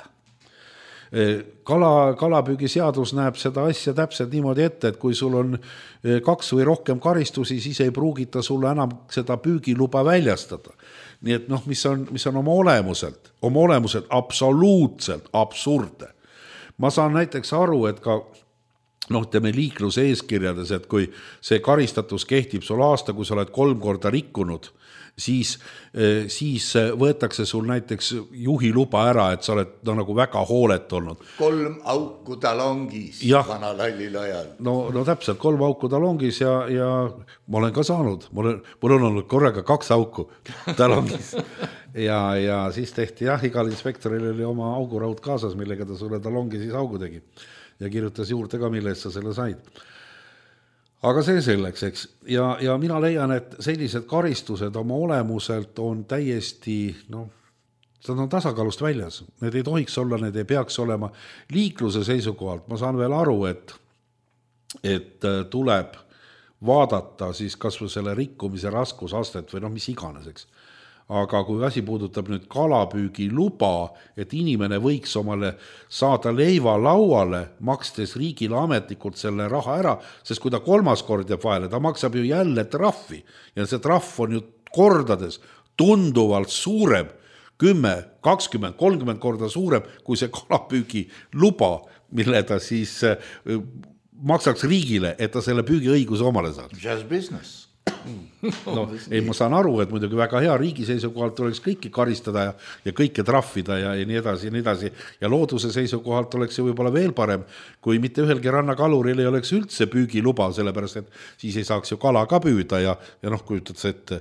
Kala, kalapüügiseadus näeb seda asja täpselt niimoodi ette, et kui sul on kaks või rohkem karistusi, siis ei pruugita sulle enam seda püügiluba väljastada. Nii et noh, mis on, mis on oma olemuselt, oma olemuselt absoluutselt absurde. Ma saan näiteks aru, et ka noh, teeme liikluse eeskirjades, et kui see karistatus kehtib sul aasta, kui sa oled kolm korda rikkunud, siis, siis võetakse sul näiteks juhiluba ära, et sa oled no, nagu väga hoolet olnud. Kolm auku talongis ja, vana lallil ajal. No, no täpselt, kolm auku talongis ja, ja ma olen ka saanud. Mul on, mul on olnud korraga kaks auku talongis. ja, ja siis tehti jah, igal inspektoril oli oma auguraud kaasas, millega ta sulle talongi siis augu tegi. Ja kirjutas juurde ka, mille eest sa selle said. Aga see selleks, eks. Ja, ja mina leian, et sellised karistused oma olemuselt on täiesti, noh, seda on tasakaalust väljas. Need ei tohiks olla, need ei peaks olema liikluse seisukohalt. Ma saan veel aru, et, et tuleb vaadata siis kas või selle rikkumise raskusastet või noh, mis iganes, eks. aga kui asi puudutab nüüd kalapüügi luba, et inimene võiks omale saada leiva lauale, makstes riigile ametlikult selle raha ära, sest kui ta kolmas kord jääb vahele, ta maksab ju jälle trahvi ja see trahv on ju kordades tunduvalt suurem, kümme, kakskümmend, kolmkümmend korda suurem kui see kalapüügi luba, mille ta siis maksaks riigile, et ta selle püügiõiguse omale saaks. Just business. No, ei, ma saan aru, et muidugi väga hea riigi seisukohalt tuleks kõiki karistada ja, ja kõike trahvida ja, ja nii edasi ja nii edasi. Ja looduse seisukohalt oleks see võib-olla veel parem, kui mitte ühelgi rannakaluril ei oleks üldse püügiluba, sellepärast et siis ei saaks ju kala ka püüda ja, ja noh, kujutad see, et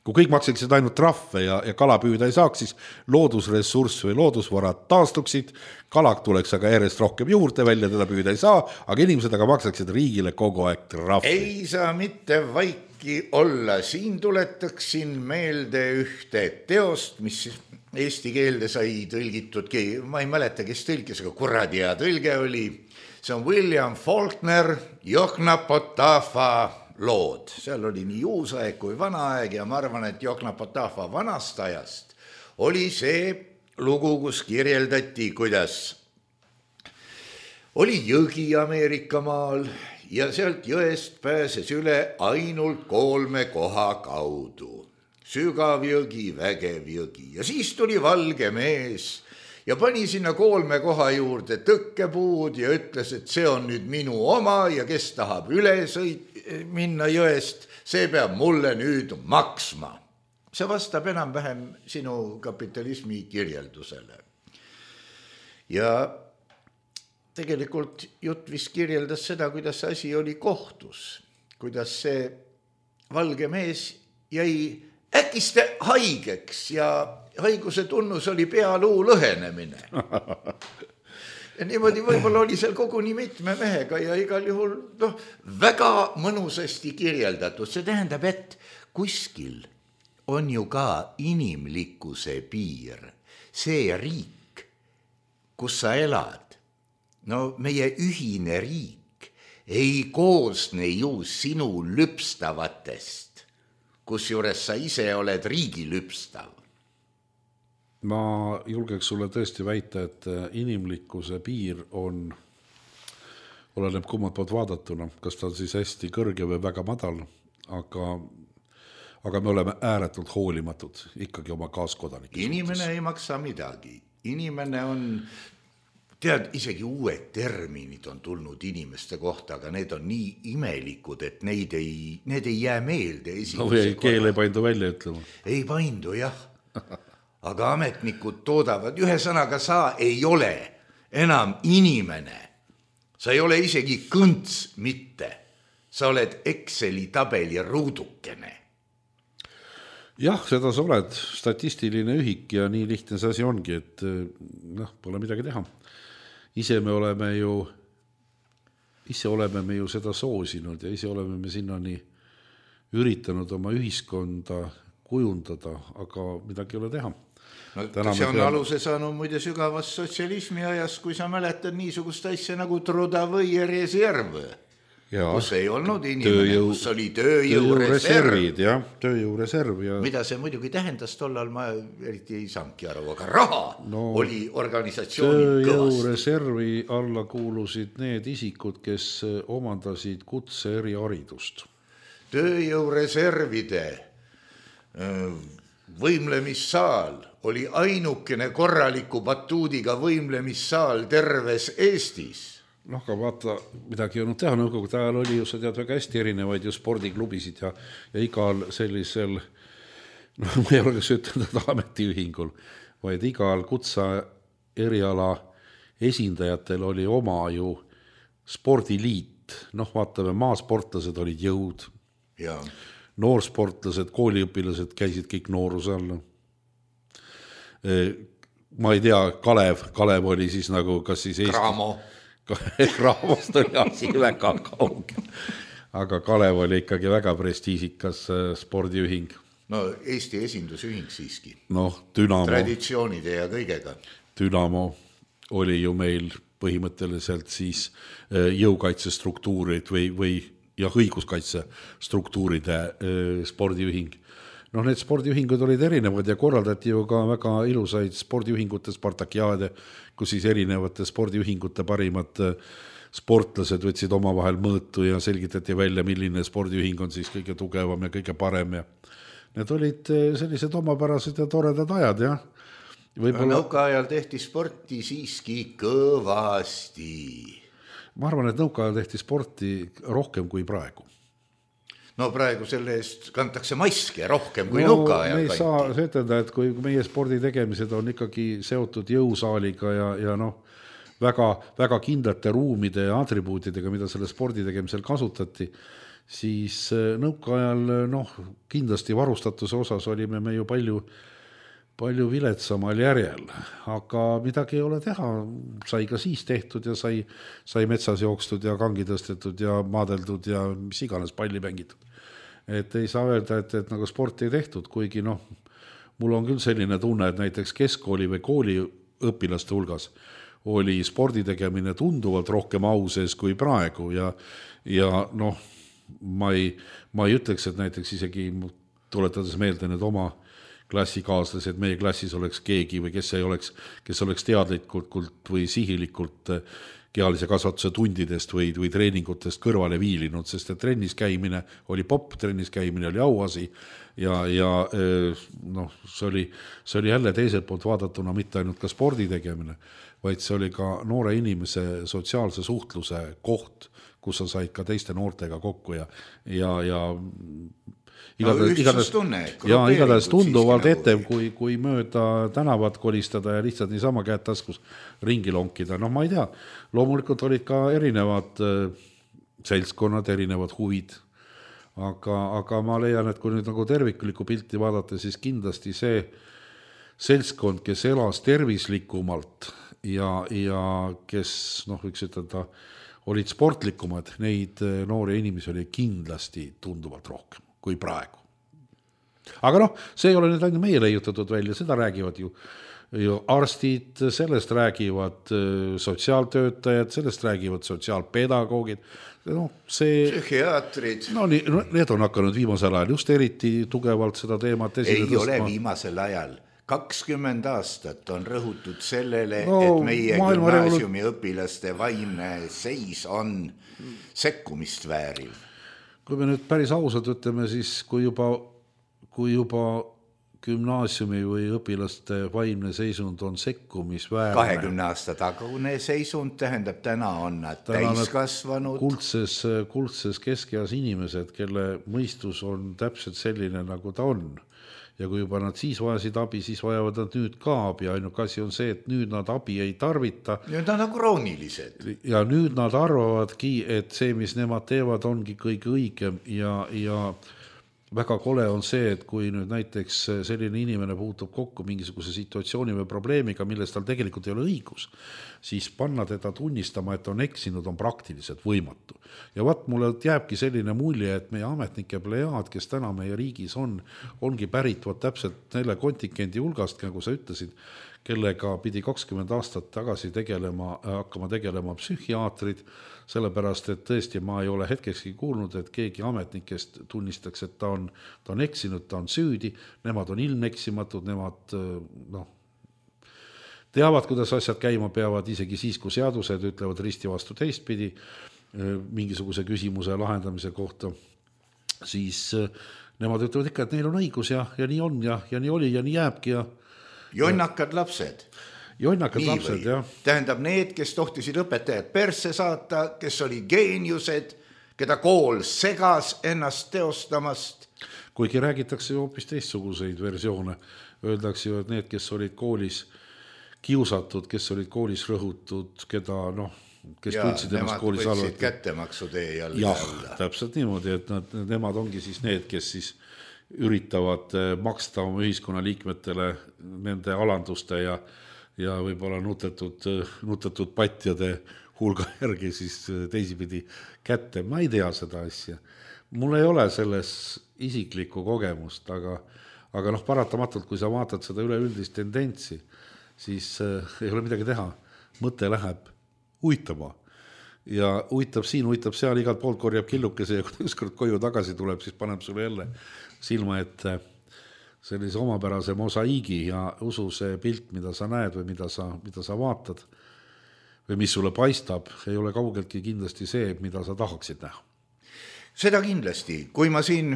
kui kõik maksaksid ainult trahve ja, ja kala püüda ei saaks, siis loodusressurss või loodusvarad taastuksid, kalak tuleks aga järjest rohkem juurde välja, teda püüda ei saa, aga inimesed aga maksaksid riigile kogu aeg trahvi. Ei saa mitte vaiki olla. Siin tuletaksin meelde ühte teost, mis eesti keelde sai tõlgitudki. Ma ei mäleta, kes tõlkis, aga kuradi hea tõlge oli. See on William Faulkner, Yoknepotafa lood. Seal oli nii uus aeg kui vana aeg ja ma arvan, et Yoknepotafa vanast ajast oli see lugu, kus kirjeldati, kuidas oli jõgi Ameerika maal ja sealt jõest pääses üle ainult kolme koha kaudu. Sügav jõgi, vägev jõgi ja siis tuli valge mees ja pani sinna kolme koha juurde tõkkepuud ja ütles, et see on nüüd minu oma ja kes tahab üle sõit, minna jõest, see peab mulle nüüd maksma. See vastab enam-vähem sinu kapitalismi kirjeldusele. Ja tegelikult jutt vist kirjeldas seda, kuidas asi oli kohtus, kuidas see valge mees jäi äkiste haigeks ja haiguse tunnus oli pealuu lõhenemine. Ja niimoodi võib-olla oli seal koguni mitme mehega ja igal juhul no, väga mõnusasti kirjeldatud. See tähendab, et kuskil on ju ka inimlikkuse piir. See riik, kus sa elad, no meie ühine riik ei koosne ju sinu lüpstavatest, kus juures sa ise oled riigi lüpstav. Ma julgeks sulle tõesti väita, et inimlikkuse piir on, oleneb kummalt poolt vaadatuna, kas ta on siis hästi kõrge või väga madal, aga, aga me oleme ääretult hoolimatud ikkagi oma kaaskodanike. Inimene suhtes. Ei maksa midagi. Inimene on, tead, isegi uued terminid on tulnud inimeste kohta, aga need on nii imelikud, et neid ei, need ei jää meelde. No või keel ei paindu välja ütlema. Ei paindu, jah. Aga ametnikud toodavad, ühe sõnaga sa ei ole enam inimene. Sa ei ole isegi kõnts mitte. Sa oled Exceli tabeli ruudukene. Jah, seda sa oled statistiline ühik ja nii lihtne see asi ongi, et noh, pole midagi teha. Ise me oleme ju, ise oleme me ju seda soosinud ja ise oleme me sinnani üritanud oma ühiskonda kujundada, aga midagi ei ole teha. No, see on peame... aluse saanud muide sügavast sotsialismi ajas, kui sa mäletad niisugust asja nagu Trudovõi reserv, kus ei olnud inimene, tööjõu, kus oli tööjõureserv. Ja, tööjõureserv ja... Mida see muidugi tähendas tollal, ma eriti ei saanudki aru, aga raha no, oli organisatsioonil kõvasti. Tööjõureservi alla kuulusid need isikud, kes omandasid kutse eriharidust. Tööjõureservide võimlemissaal oli ainukene korraliku batuudiga võimlemissaal terves Eestis. Noh, aga vaata, midagi ei olnud teha, nõukogude ajal oli ju, sa tead, väga hästi erinevaid ju spordiklubisid ja, ja igal sellisel, noh, ma ei ole kas ütelda ametiühingul, vaid igal kutsa eriala esindajatel oli oma ju spordiliit. Noh, vaatame, maasportlased olid jõud. Ja. Noorsportlased, kooliõpilased käisid kõik nooruse all. Ma ei tea, Kalev, Kalev oli siis nagu, kas siis Eesti... Kramo. Kramost oli asi väga kauge. Aga Kalev oli ikkagi väga prestiisikas spordiühing. No Eesti esindusühing siiski. Noh, Dünamo. Traditsioonide ja kõigega. Dünamo oli ju meil põhimõtteliselt siis jõukaitsestruktuurid või, või ja õiguskaitsestruktuuride spordiühing. noh, need spordiühingud olid erinevad ja korraldati ju ka väga ilusaid spordiühingute Spartakiaade, kus siis erinevate spordiühingute parimad sportlased võtsid omavahel mõõtu ja selgitati välja, milline spordiühing on siis kõige tugevam ja kõige parem ja need olid sellised omapärased ja toredad ajad, jah. Võibolla... Nõuka ajal tehti sporti siiski kõvasti. Ma arvan, et nõuka ajal tehti sporti rohkem kui praegu. No praegu selle eest kantakse maske rohkem kui no, nõuka ajal. Me ei saa ütelda, et kui meie spordi tegemised on ikkagi seotud jõusaaliga ja, ja noh, väga, väga kindlate ruumide ja atribuutidega, mida selle spordi tegemisel kasutati, siis nõuka ajal noh, kindlasti varustatuse osas olime me ju palju, palju viletsamal järjel, aga midagi ei ole teha, sai ka siis tehtud ja sai, sai metsas jookstud ja kangi tõstetud ja maadeldud ja mis iganes palli mängitud. Et ei saa öelda, et, et nagu sporti ei tehtud, kuigi noh, mul on küll selline tunne, et näiteks keskkooli või kooli õpilaste hulgas oli spordi tegemine tunduvalt rohkem au sees kui praegu ja, ja noh, ma ei, ma ei ütleks, et näiteks isegi tuletades meelde need oma klassikaaslased, meie klassis oleks keegi või kes ei oleks, kes oleks teadlikult või sihilikult kehalise kasvatuse tundidest või, või treeningutest kõrvale viilinud, sest et trennis käimine oli popp, trennis käimine oli auasi ja, ja noh, see oli, see oli jälle teiselt poolt vaadatuna mitte ainult ka spordi tegemine, vaid see oli ka noore inimese sotsiaalse suhtluse koht, kus sa said ka teiste noortega kokku ja, ja, ja igatahes, no, igatahes, ja, igatahes tunduvalt etem, kui, kui mööda tänavat kolistada ja lihtsalt niisama käed taskus ringi lonkida. Noh, ma ei tea, loomulikult olid ka erinevad seltskonnad, erinevad huvid, aga, aga ma leian, et kui nüüd nagu terviklikku pilti vaadata, siis kindlasti see seltskond, kes elas tervislikumalt ja, ja kes, noh, võiks ütelda, olid sportlikumad, neid noori inimesi oli kindlasti tunduvalt rohkem kui praegu. Aga noh, see ei ole nüüd ainult meie leiutatud välja, seda räägivad ju, ju arstid, sellest räägivad sotsiaaltöötajad, sellest räägivad sotsiaalpedagoogid, no see... Psühhiaatrid. No nii, need on hakanud viimasel ajal just eriti tugevalt seda teemat esile tõstma. Ei ole viimasel ajal. kakskümmend aastat on rõhutud sellele, no, et meie gümnaasiumi õpilaste vaimne seis on sekkumist vääriv. Kui me nüüd päris ausalt ütleme, siis kui juba, kui juba gümnaasiumi või õpilaste vaimne seisund on sekkumisväärne. kahekümne aasta tagune seisund tähendab, täna on nad täiskasvanud. Kuldses, kuldses keskeas inimesed, kelle mõistus on täpselt selline, nagu ta on. Ja kui juba nad siis vajasid abi, siis vajavad nad nüüd ka abi. Ainuke asi on see, et nüüd nad abi ei tarvita. Nüüd nad on kroonilised. Ja nüüd nad arvavadki, et see, mis nemad teevad, ongi kõige õigem ja, ja väga kole on see, et kui nüüd näiteks selline inimene puutub kokku mingisuguse situatsiooni või probleemiga, millest tal tegelikult ei ole õigus, siis panna teda tunnistama, et on eksinud, on praktiliselt võimatu. Ja vaat mulle jääbki selline mulje, et meie ametnike plejaad, kes täna meie riigis on, ongi pärit vaat täpselt neile kontingendi hulgast, nagu sa ütlesid, kellega pidi kakskümmend aastat tagasi tegelema, hakkama tegelema psühhiaatrid, sellepärast, et tõesti ma ei ole hetkekski kuulnud, et keegi ametnikest tunnistaks, et ta on, ta on eksinud, ta on süüdi, nemad on ilmeksimatud, nemad noh, teavad, kuidas asjad käima peavad, isegi siis, kui seadused ütlevad risti vastu teistpidi mingisuguse küsimuse lahendamise kohta, siis nemad ütlevad ikka, et neil on õigus ja, ja nii on ja, ja nii oli ja nii jääbki ja jonnakad lapsed. Jonnakad nii lapsed, või? Jah. Tähendab need, kes tohtisid õpetajad persse saata, kes oli geeniused, keda kool segas ennast teostamast. Kuigi räägitakse ju hoopis teistsuguseid versioone. Öeldakse ju, et need, kes olid koolis kiusatud, kes olid koolis rõhutud, keda noh, kes ja, tundsid ennast koolis alati. Nemad võtsid kättemaksu tee jälle. Jah, täpselt niimoodi, et nad, nemad ongi siis need, kes siis üritavad maksta oma ühiskonna liikmetele nende alanduste ja, ja võib-olla nutetud, nutetud patjade hulga järgi siis teisipidi kätte. Ma ei tea seda asja. Mul ei ole selles isiklikku kogemust, aga, aga noh, paratamatult, kui sa vaatad seda üleüldist tendentsi, siis äh, ei ole midagi teha. Mõte läheb uitama. Ja uitab siin, uitab seal, igalt poolt korjab killukese ja kui ükskord koju tagasi tuleb, siis paneb sulle jälle silma, et sellise omapärase mosaiigi ja usu see pilt, mida sa näed või mida sa, mida sa vaatad või mis sulle paistab, ei ole kaugeltki kindlasti see, mida sa tahaksid näha. Seda kindlasti, kui ma siin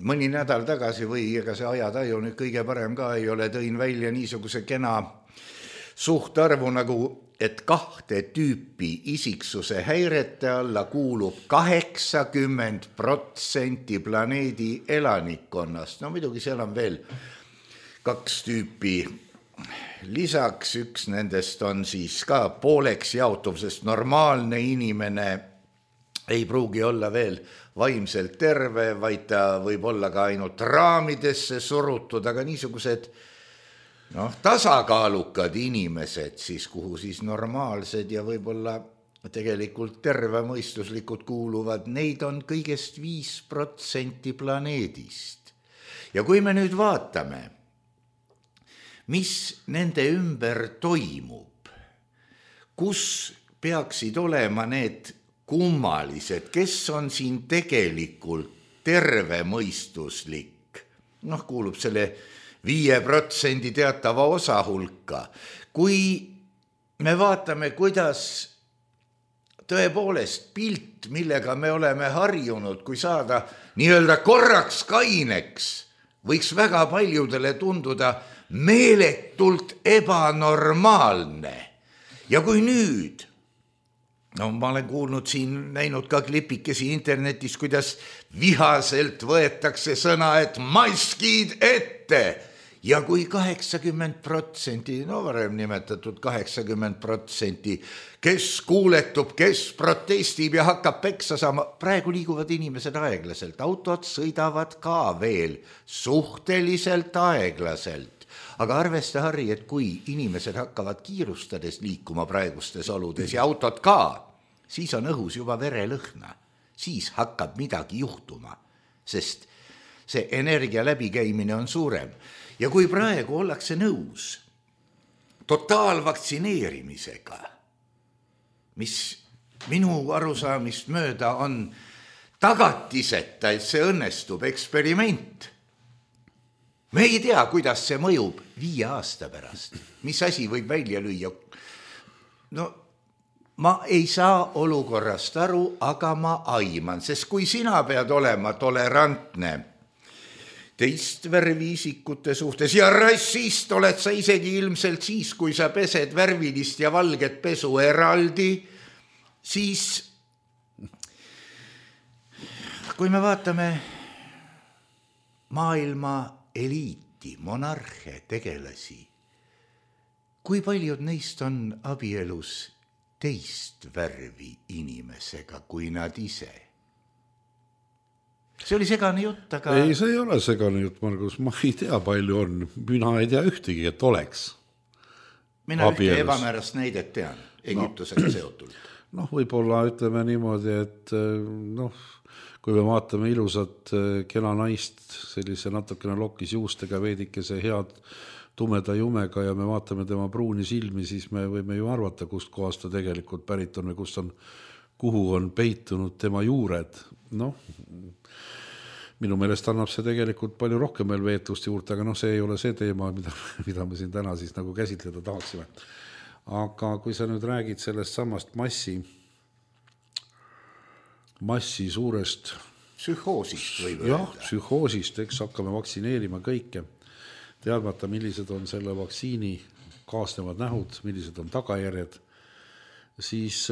mõni nädal tagasi või ega see ajataju nüüd kõige parem ka ei ole, tõin välja niisuguse kena suhtarvu nagu, et kahte tüüpi isiksuse häirete alla kuulub kaheksakümmend protsenti planeedi elanikkonnast. No muidugi seal on veel kaks tüüpi. Lisaks üks nendest on siis ka pooleks jaotuv, sest normaalne inimene ei pruugi olla veel vaimselt terve, vaid ta võib olla ka ainult raamidesse surutud, aga niisugused noh, tasakaalukad inimesed siis, kuhu siis normaalsed ja võib-olla tegelikult tervemõistuslikud kuuluvad, neid on kõigest viis protsenti planeedist. Ja kui me nüüd vaatame, mis nende ümber toimub, kus peaksid olema need kummalised, kes on siin tegelikult tervemõistuslik, noh, kuulub selle viie protsendi teatava osa hulka. Kui me vaatame, kuidas tõepoolest pilt, millega me oleme harjunud, kui saada nii-öelda korraks kaineks, võiks väga paljudele tunduda meeletult ebanormaalne. Ja kui nüüd, no ma olen kuulnud siin, näinud ka klipikesi internetis, kuidas vihaselt võetakse sõna, et maskid ette. Ja kui kaheksakümmend protsenti, no varem nimetatud kaheksakümmend protsenti, kes kuuletub, kes protestib ja hakkab peksa saama, praegu liiguvad inimesed aeglaselt, autod sõidavad ka veel suhteliselt aeglaselt. Aga arvesta, Harri, et kui inimesed hakkavad kiirustades liikuma praegustes oludes ja autod ka, siis on õhus juba verelõhna, siis hakkab midagi juhtuma, sest see energia läbikäimine on suurem. Ja kui praegu ollakse nõus totaalvaktsineerimisega, mis minu arusaamist mööda on tagatiseta, et see õnnestub eksperiment. Me ei tea, kuidas see mõjub viie aasta pärast, mis asi võib välja lüüa. No ma ei saa olukorrast aru, aga ma aiman, sest kui sina pead olema tolerantne teist värviisikute suhtes ja rassist oled sa isegi ilmselt siis, kui sa pesed värvilist ja valget pesu eraldi, siis kui me vaatame maailma eliiti, monarhe, tegelasi, kui paljud neist on abielus teist värvi inimesega kui nad ise? See oli segane jutt, aga... Ei, see ei ole segane jutt, Margus. Ma ei tea, palju on. Mina ei tea ühtegi, et oleks. Mina ühte ebamäärast näidet tean, Egiptusega no. seotult. Noh, võib-olla ütleme niimoodi, et noh, kui me vaatame ilusat kena naist sellise natukene lokkis juustega, veidikese head tumeda jumega ja me vaatame tema pruuni silmi, siis me võime ju arvata, kust kohast ta tegelikult pärit on või kust on, kuhu on peitunud tema juured. Noh, minu meelest annab see tegelikult palju rohkem veel veetlust juurde, aga noh, see ei ole see teema, mida, mida me siin täna siis nagu käsitleda tahaksime. Aga kui sa nüüd räägid sellest samast massi, massi suurest psühhoosist võib öelda. Jah, psühhoosist, eks hakkame vaktsineerima kõike, teadmata, millised on selle vaktsiini kaasnevad nähud, millised on tagajärjed, siis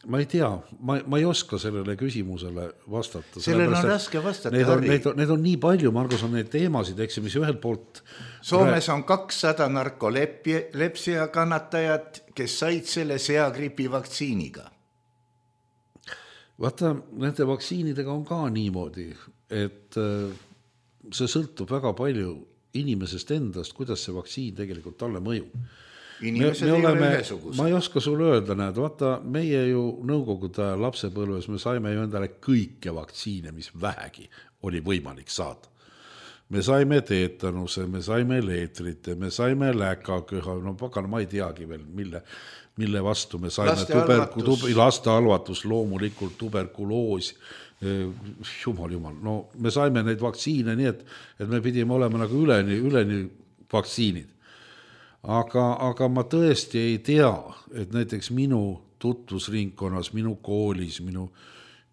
ma ei tea, ma, ma ei oska sellele küsimusele vastata. Sellele on raske vastata, need on, need, on, need on nii palju, Margus, on neid teemasid, eks, mis ühelt poolt... Soomes on kakssada narkolepsia kannatajat, kes said selle seagripi vaktsiiniga. Vaata, nende vaktsiinidega on ka niimoodi, et see sõltub väga palju inimesest endast, kuidas see vaktsiin tegelikult talle mõjub. Inimesed me, me oleme, ei ole ühesugused. Ma ei oska sulle öelda, näed, vaata, meie ju nõukogude lapsepõlves me saime ju endale kõike vaktsiine, mis vähegi oli võimalik saada. Me saime teetanuse, me saime leetrite, me saime läkaköha, no pagan, ma ei teagi veel, mille, mille vastu me saime laste tuberku, tub, laste halvatus, loomulikult tuberkuloos jumal, jumal, no me saime neid vaktsiine nii, et, et me pidime olema nagu üleni, üleni vaktsiinid. Aga, aga ma tõesti ei tea, et näiteks minu tutvusringkonnas, minu koolis, minu,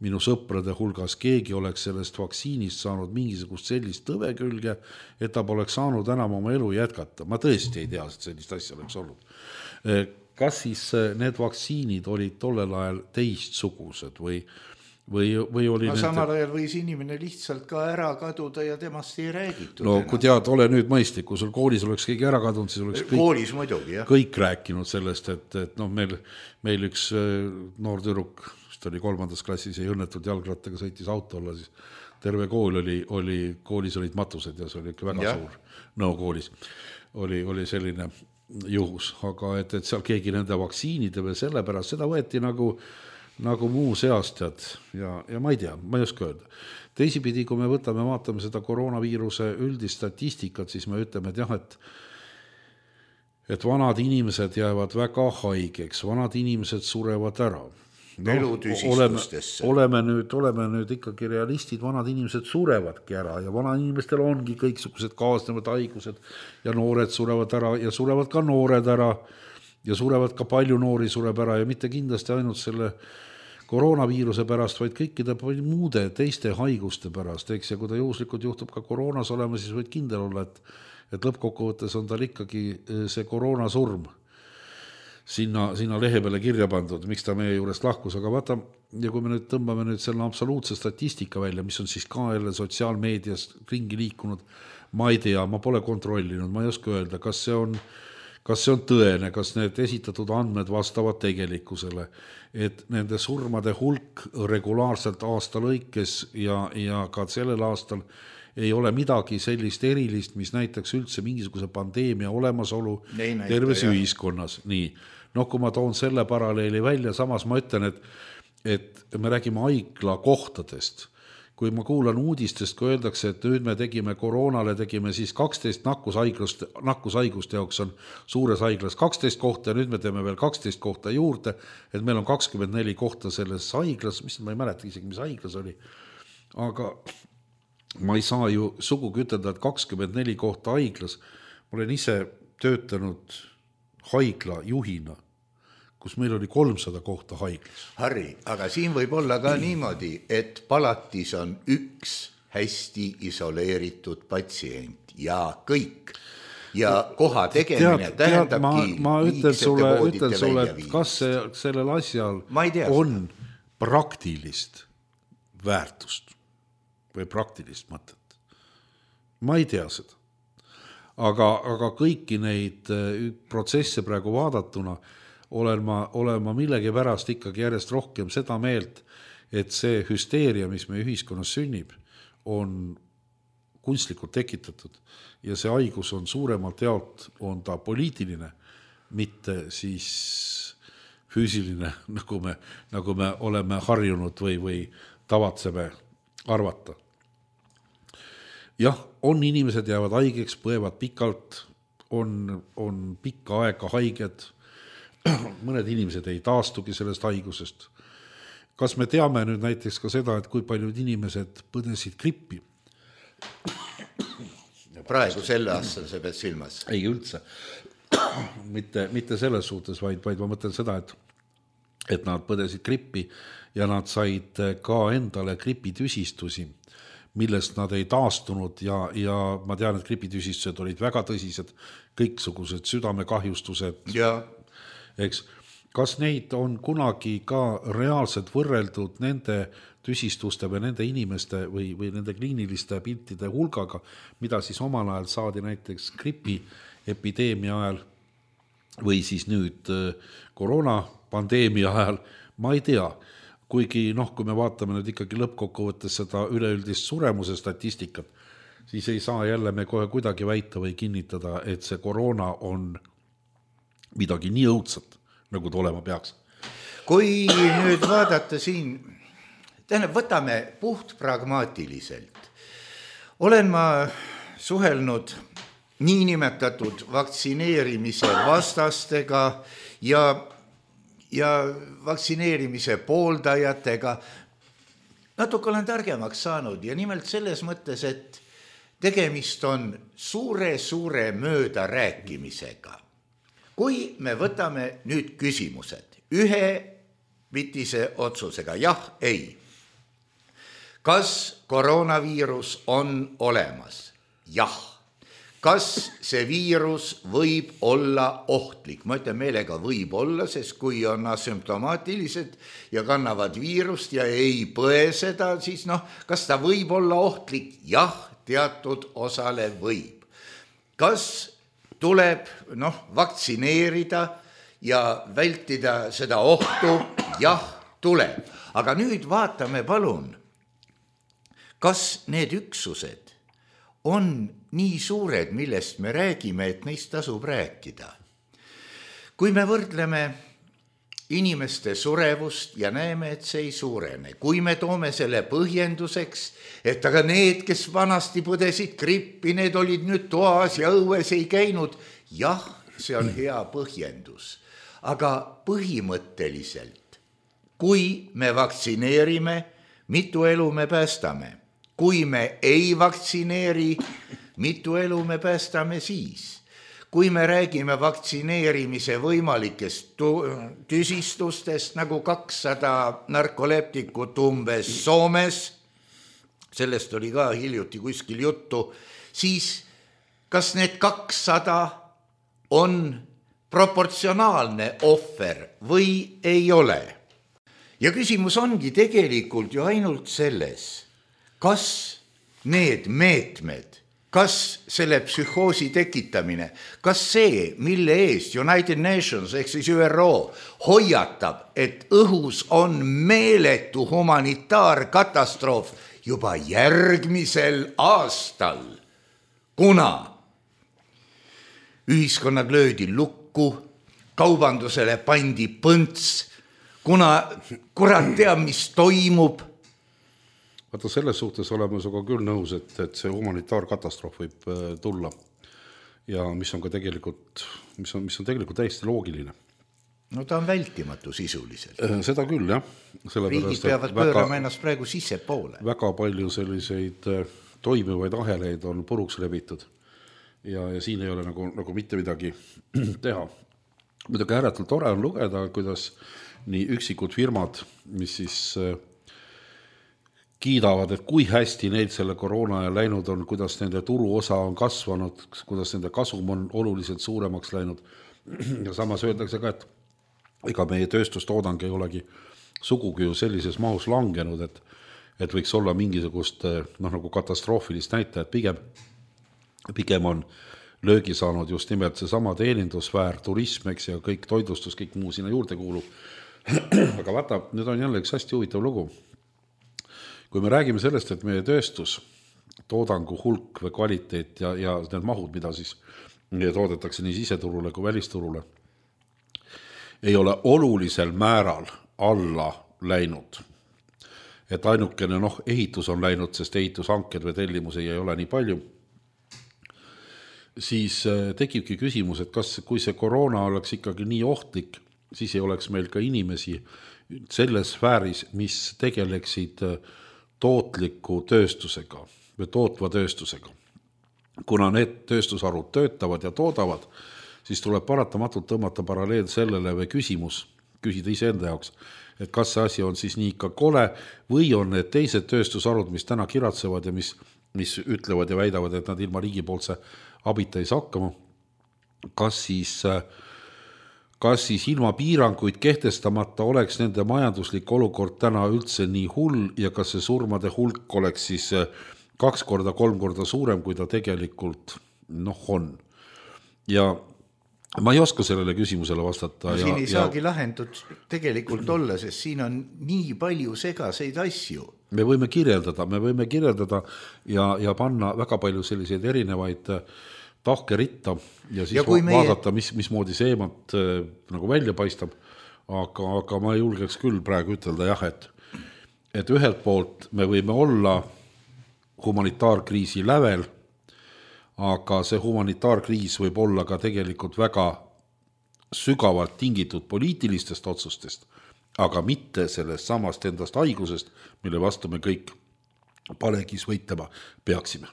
minu sõprade hulgas keegi oleks sellest vaktsiinist saanud mingisugust sellist tõve külge, et ta poleks saanud enam oma elu jätkata. Ma tõesti ei tea, et sellist asja oleks olnud. Kas siis need vaktsiinid olid tollel ajal teistsugused või Või, või oli no, nende... samal ajal võis inimene lihtsalt ka ära kaduda ja temast ei räägitud. No kui tead, ole nüüd mõistlik, kui sul koolis oleks keegi ära kadunud, siis oleks kõik, koolis muidugi, jah. kõik rääkinud sellest, et, et noh, meil, meil üks noor tüdruk, vist oli kolmandas klassis, ei õnnetult jalgrattaga sõitis auto olla, siis terve kool oli, oli, koolis olid matused ja see oli ikka väga ja. suur nõu koolis. Oli, oli selline juhus, aga et, et seal keegi nende vaktsiinide või selle pärast, seda võeti nagu nagu muu seast tead ja, ja ma ei tea, ma ei oska öelda. Teisipidi, kui me võtame, vaatame seda koroonaviiruse üldist statistikat, siis me ütleme, et jah, et, et vanad inimesed jäävad väga haigeks, vanad inimesed surevad ära. No, oleme, oleme, nüüd, oleme nüüd ikkagi realistid, vanad inimesed surevadki ära ja vanad inimestel ongi kõiksugused kaasnevad haigused ja noored surevad ära ja surevad ka noored ära ja surevad ka palju noori sureb ära ja mitte kindlasti ainult selle koroonaviiruse pärast, vaid kõikide muude teiste haiguste pärast, eks, ja kui ta juhuslikult juhtub ka koroonas olema, siis võid kindel olla, et, et lõppkokkuvõttes on tal ikkagi see koroonasurm sinna, sinna lehe peale kirja pandud, miks ta meie juurest lahkus, aga vaata, ja kui me nüüd tõmbame nüüd selle absoluutse statistika välja, mis on siis ka jälle sotsiaalmeedias ringi liikunud, ma ei tea, ma pole kontrollinud, ma ei oska öelda, kas see on kas see on tõene, kas need esitatud andmed vastavad tegelikkusele, et nende surmade hulk regulaarselt aasta lõikes ja, ja ka sellel aastal ei ole midagi sellist erilist, mis näitaks üldse mingisuguse pandeemia olemasolu näita, terves jah. Ühiskonnas. Nii. No kui ma toon selle paralleeli välja, samas ma ütlen, et, et me räägime haigla kohtadest. Kui ma kuulan uudistest, kui öeldakse, et nüüd me tegime koroonale, tegime siis kaksteist nakkushaigust, nakkushaiguste jaoks on suures haiglas kaksteist kohta ja nüüd me teeme veel kaksteist kohta juurde, et meil on kakskümmend neli kohta selles haiglas, mis ma ei mäleta isegi, mis haiglas oli. Aga ma ei saa ju sugugi ütelda, et kakskümmend neli kohta haiglas. Ma olen ise töötanud haigla juhina, kus meil oli kolmsada kohta haiglas. Harri, aga siin võib olla ka niimoodi, et palatis on üks hästi isoleeritud patsient ja kõik. Ja koha tegemine tead, tähendabki tead, ma, ma ütlen sulle, ütlen sulle, et kas see, sellel asjal on praktilist väärtust või praktilist mõtet. Ma ei tea seda. Aga, aga kõiki neid protsesse praegu vaadatuna olen ma, olen ma millegi pärast ikkagi järjest rohkem seda meelt, et see hüsteeria, mis meie ühiskonnas sünnib, on kunstlikult tekitatud ja see haigus on suuremalt jaolt, on ta poliitiline, mitte siis füüsiline, nagu me, nagu me oleme harjunud või, või tavatseme arvata. Jah, on inimesed jäävad haigeks, põevad pikalt, on, on pikka aega haiged, mõned inimesed ei taastugi sellest haigusest. Kas me teame nüüd näiteks ka seda, et kui paljud inimesed põdesid grippi? Praegu selle aastal see pead silmas? Ei üldse. mitte, mitte selles suhtes, vaid, vaid ma mõtlen seda, et, et nad põdesid grippi ja nad said ka endale gripitüsistusi, millest nad ei taastunud ja, ja ma tean, et gripitüsistused olid väga tõsised, kõiksugused südamekahjustused. Ja. Eks, kas neid on kunagi ka reaalselt võrreldud nende tüsistuste või nende inimeste või, või nende kliiniliste piltide hulgaga, mida siis omal ajal saadi näiteks gripi epideemia ajal või siis nüüd koroonapandeemia ajal, ma ei tea. Kuigi noh, kui me vaatame nüüd ikkagi lõppkokkuvõttes seda üleüldist suremuse statistikat, siis ei saa jälle me kohe kuidagi väita või kinnitada, et see koroona on midagi nii õudset, nagu ta olema peaks. Kui nüüd vaadata siin, tähendab, võtame puht pragmaatiliselt. Olen ma suhelnud niinimetatud vaktsineerimise vastastega ja ja vaktsineerimise pooldajatega. natuke olen targemaks saanud ja nimelt selles mõttes, et tegemist on suure-suure mööda rääkimisega. Kui me võtame nüüd küsimused ühe vitise otsusega, jah, ei. Kas koroonaviirus on olemas? Jah. Kas see viirus võib olla ohtlik? Ma ütlen meelega võib olla, sest kui on asümptomaatilised ja kannavad viirust ja ei põe seda, siis noh, kas ta võib olla ohtlik? Jah, teatud osale võib. Kas tuleb noh, vaktsineerida ja vältida seda ohtu? Jah, tuleb. Aga nüüd vaatame palun, kas need üksused on nii suured, millest me räägime, et neist tasub rääkida. Kui me võrdleme inimeste surevust ja näeme, et see ei suurene, kui me toome selle põhjenduseks, et aga need, kes vanasti põdesid grippi, need olid nüüd toas ja õues ei käinud, jah, see on hea põhjendus. Aga põhimõtteliselt, kui me vaktsineerime, mitu elu me päästame? Kui me ei vaktsineeri, mitu elu me päästame siis? Kui me räägime vaktsineerimise võimalikest tüsistustest, nagu kakssada narkoleptikut umbes Soomes, sellest oli ka hiljuti kuskil juttu, siis kas need kakssada on proportsionaalne ohver või ei ole? Ja küsimus ongi tegelikult ju ainult selles, kas need meetmed, kas selle psühhoosi tekitamine, kas see, mille eest United Nations ehk siis Ü R O hoiatab, et õhus on meeletu humanitaarkatastroof juba järgmisel aastal, kuna ühiskonnad löödi lukku, kaubandusele pandi põnts, kuna kurat teab, mis toimub. Vaata, selles suhtes oleme sinuga küll nõus, et, et see humanitaarkatastroof võib tulla ja mis on ka tegelikult, mis on, mis on tegelikult täiesti loogiline. No ta on vältimatu sisuliselt. Seda küll, jah. Riigid peavad pöörama ennast praegu sisse poole. Väga palju selliseid toimivaid aheleid on puruks rebitud ja, ja siin ei ole nagu, nagu mitte midagi teha. Muidugi ääretult tore on lugeda, kuidas nii üksikud firmad, mis siis kiidavad, et kui hästi neil selle koroona ja läinud on, kuidas nende turuosa on kasvanud, kuidas nende kasum on oluliselt suuremaks läinud. Ja samas öeldakse ka, et ega meie tööstustoodang ei olegi sugugi ju sellises mahus langenud, et, et võiks olla mingisugust noh, nagu katastroofilist näitajat. Pigem, pigem on löögi saanud just nimelt see sama teenindusväär, turism, eks, ja kõik toidlustus, kõik muu sinna juurde kuulub. Aga vaata, nüüd on jälle üks hästi huvitav lugu. Kui me räägime sellest, et meie tööstus, toodangu hulk või kvaliteet ja, ja need mahud, mida siis toodetakse nii siseturule kui välisturule, ei ole olulisel määral alla läinud. Et ainukene noh, ehitus on läinud, sest ehitushanked või tellimusi ei ole nii palju, siis tekibki küsimus, et kas, kui see koroona oleks ikkagi nii ohtlik, siis ei oleks meil ka inimesi selles sfääris, mis tegeleksid tootliku tööstusega või tootva tööstusega. Kuna need tööstusarud töötavad ja toodavad, siis tuleb paratamatult tõmmata paralleel sellele või küsimus, küsida ise enda jaoks, et kas see asi on siis nii ikka kole või on need teised tööstusarud, mis täna kiratsevad ja mis, mis ütlevad ja väidavad, et nad ilma riigipoolse abita ei saa hakkama, kas siis kas siis ilma piiranguid kehtestamata oleks nende majanduslik olukord täna üldse nii hull ja kas see surmade hulk oleks siis kaks korda, kolm korda suurem, kui ta tegelikult noh on. Ja ma ei oska sellele küsimusele vastata. No, ja, siin ei ja... saagi lahendud tegelikult olla, sest siin on nii palju segaseid asju. Me võime kirjeldada, me võime kirjeldada ja, ja panna väga palju selliseid erinevaid tahke ritta ja siis ja meie... vaadata, mis, mismoodi see eemalt äh, nagu välja paistab, aga, aga ma ei julgeks küll praegu ütelda jah, et, et ühelt poolt me võime olla humanitaarkriisi lävel, aga see humanitaarkriis võib olla ka tegelikult väga sügavalt tingitud poliitilistest otsustest, aga mitte sellest samast endast haigusest, mille vastu me kõik palegis võitlema peaksime.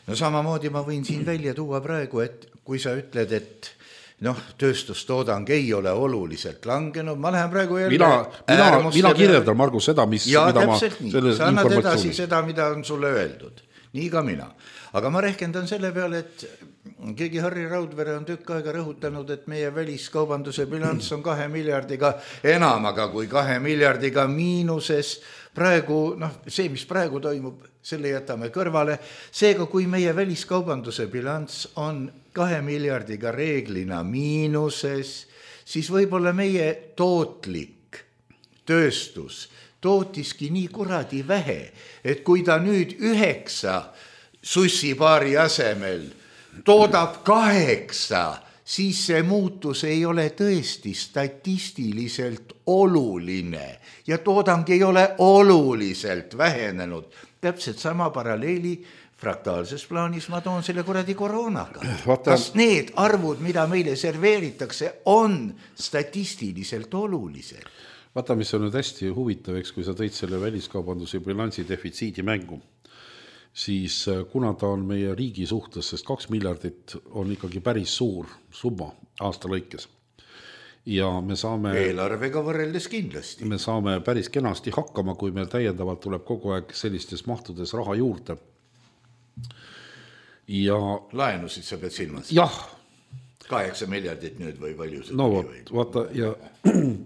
No samamoodi ma võin siin välja tuua praegu, et kui sa ütled, et noh, tööstustoodang ei ole oluliselt langenud, ma lähen praegu jälle mina, mina, mina kirjeldan, Margus, seda, mis ja mida täpselt ma nii, sa annad edasi seda, mida on sulle öeldud, nii ka mina. Aga ma rehkendan selle peale, et keegi Harri Raudvere on tükk aega rõhutanud, et meie väliskaubanduse bilanss on kahe miljardiga enamaga kui kahe miljardiga miinuses. Praegu, noh, see, mis praegu toimub, selle jätame kõrvale. Seega, kui meie väliskaubanduse bilanss on kahe miljardiga reeglina miinuses, siis võib-olla meie tootlik tööstus tootiski nii kuradi vähe, et kui ta nüüd üheksa sussipaari asemel toodab kaheksa, siis see muutus ei ole tõesti statistiliselt oluline ja toodang ei ole oluliselt vähenenud. Täpselt sama paralleeli fraktaalses plaanis ma toon selle kuradi koroonaga. Vaata, kas need arvud, mida meile serveeritakse, on statistiliselt olulised? Vaata, mis on nüüd hästi huvitav, eks, kui sa tõid selle väliskaubanduse bilansi defitsiidi mängu, siis kuna ta on meie riigi suhtes, sest kaks miljardit on ikkagi päris suur summa aasta lõikes. Ja me saame eelarvega võrreldes kindlasti. Me saame päris kenasti hakkama, kui meil täiendavalt tuleb kogu aeg sellistes mahtudes raha juurde. Ja laenusid sa pead silmas? Jah. kaheksa miljardit nüüd või palju see no, või? Vaata, ja,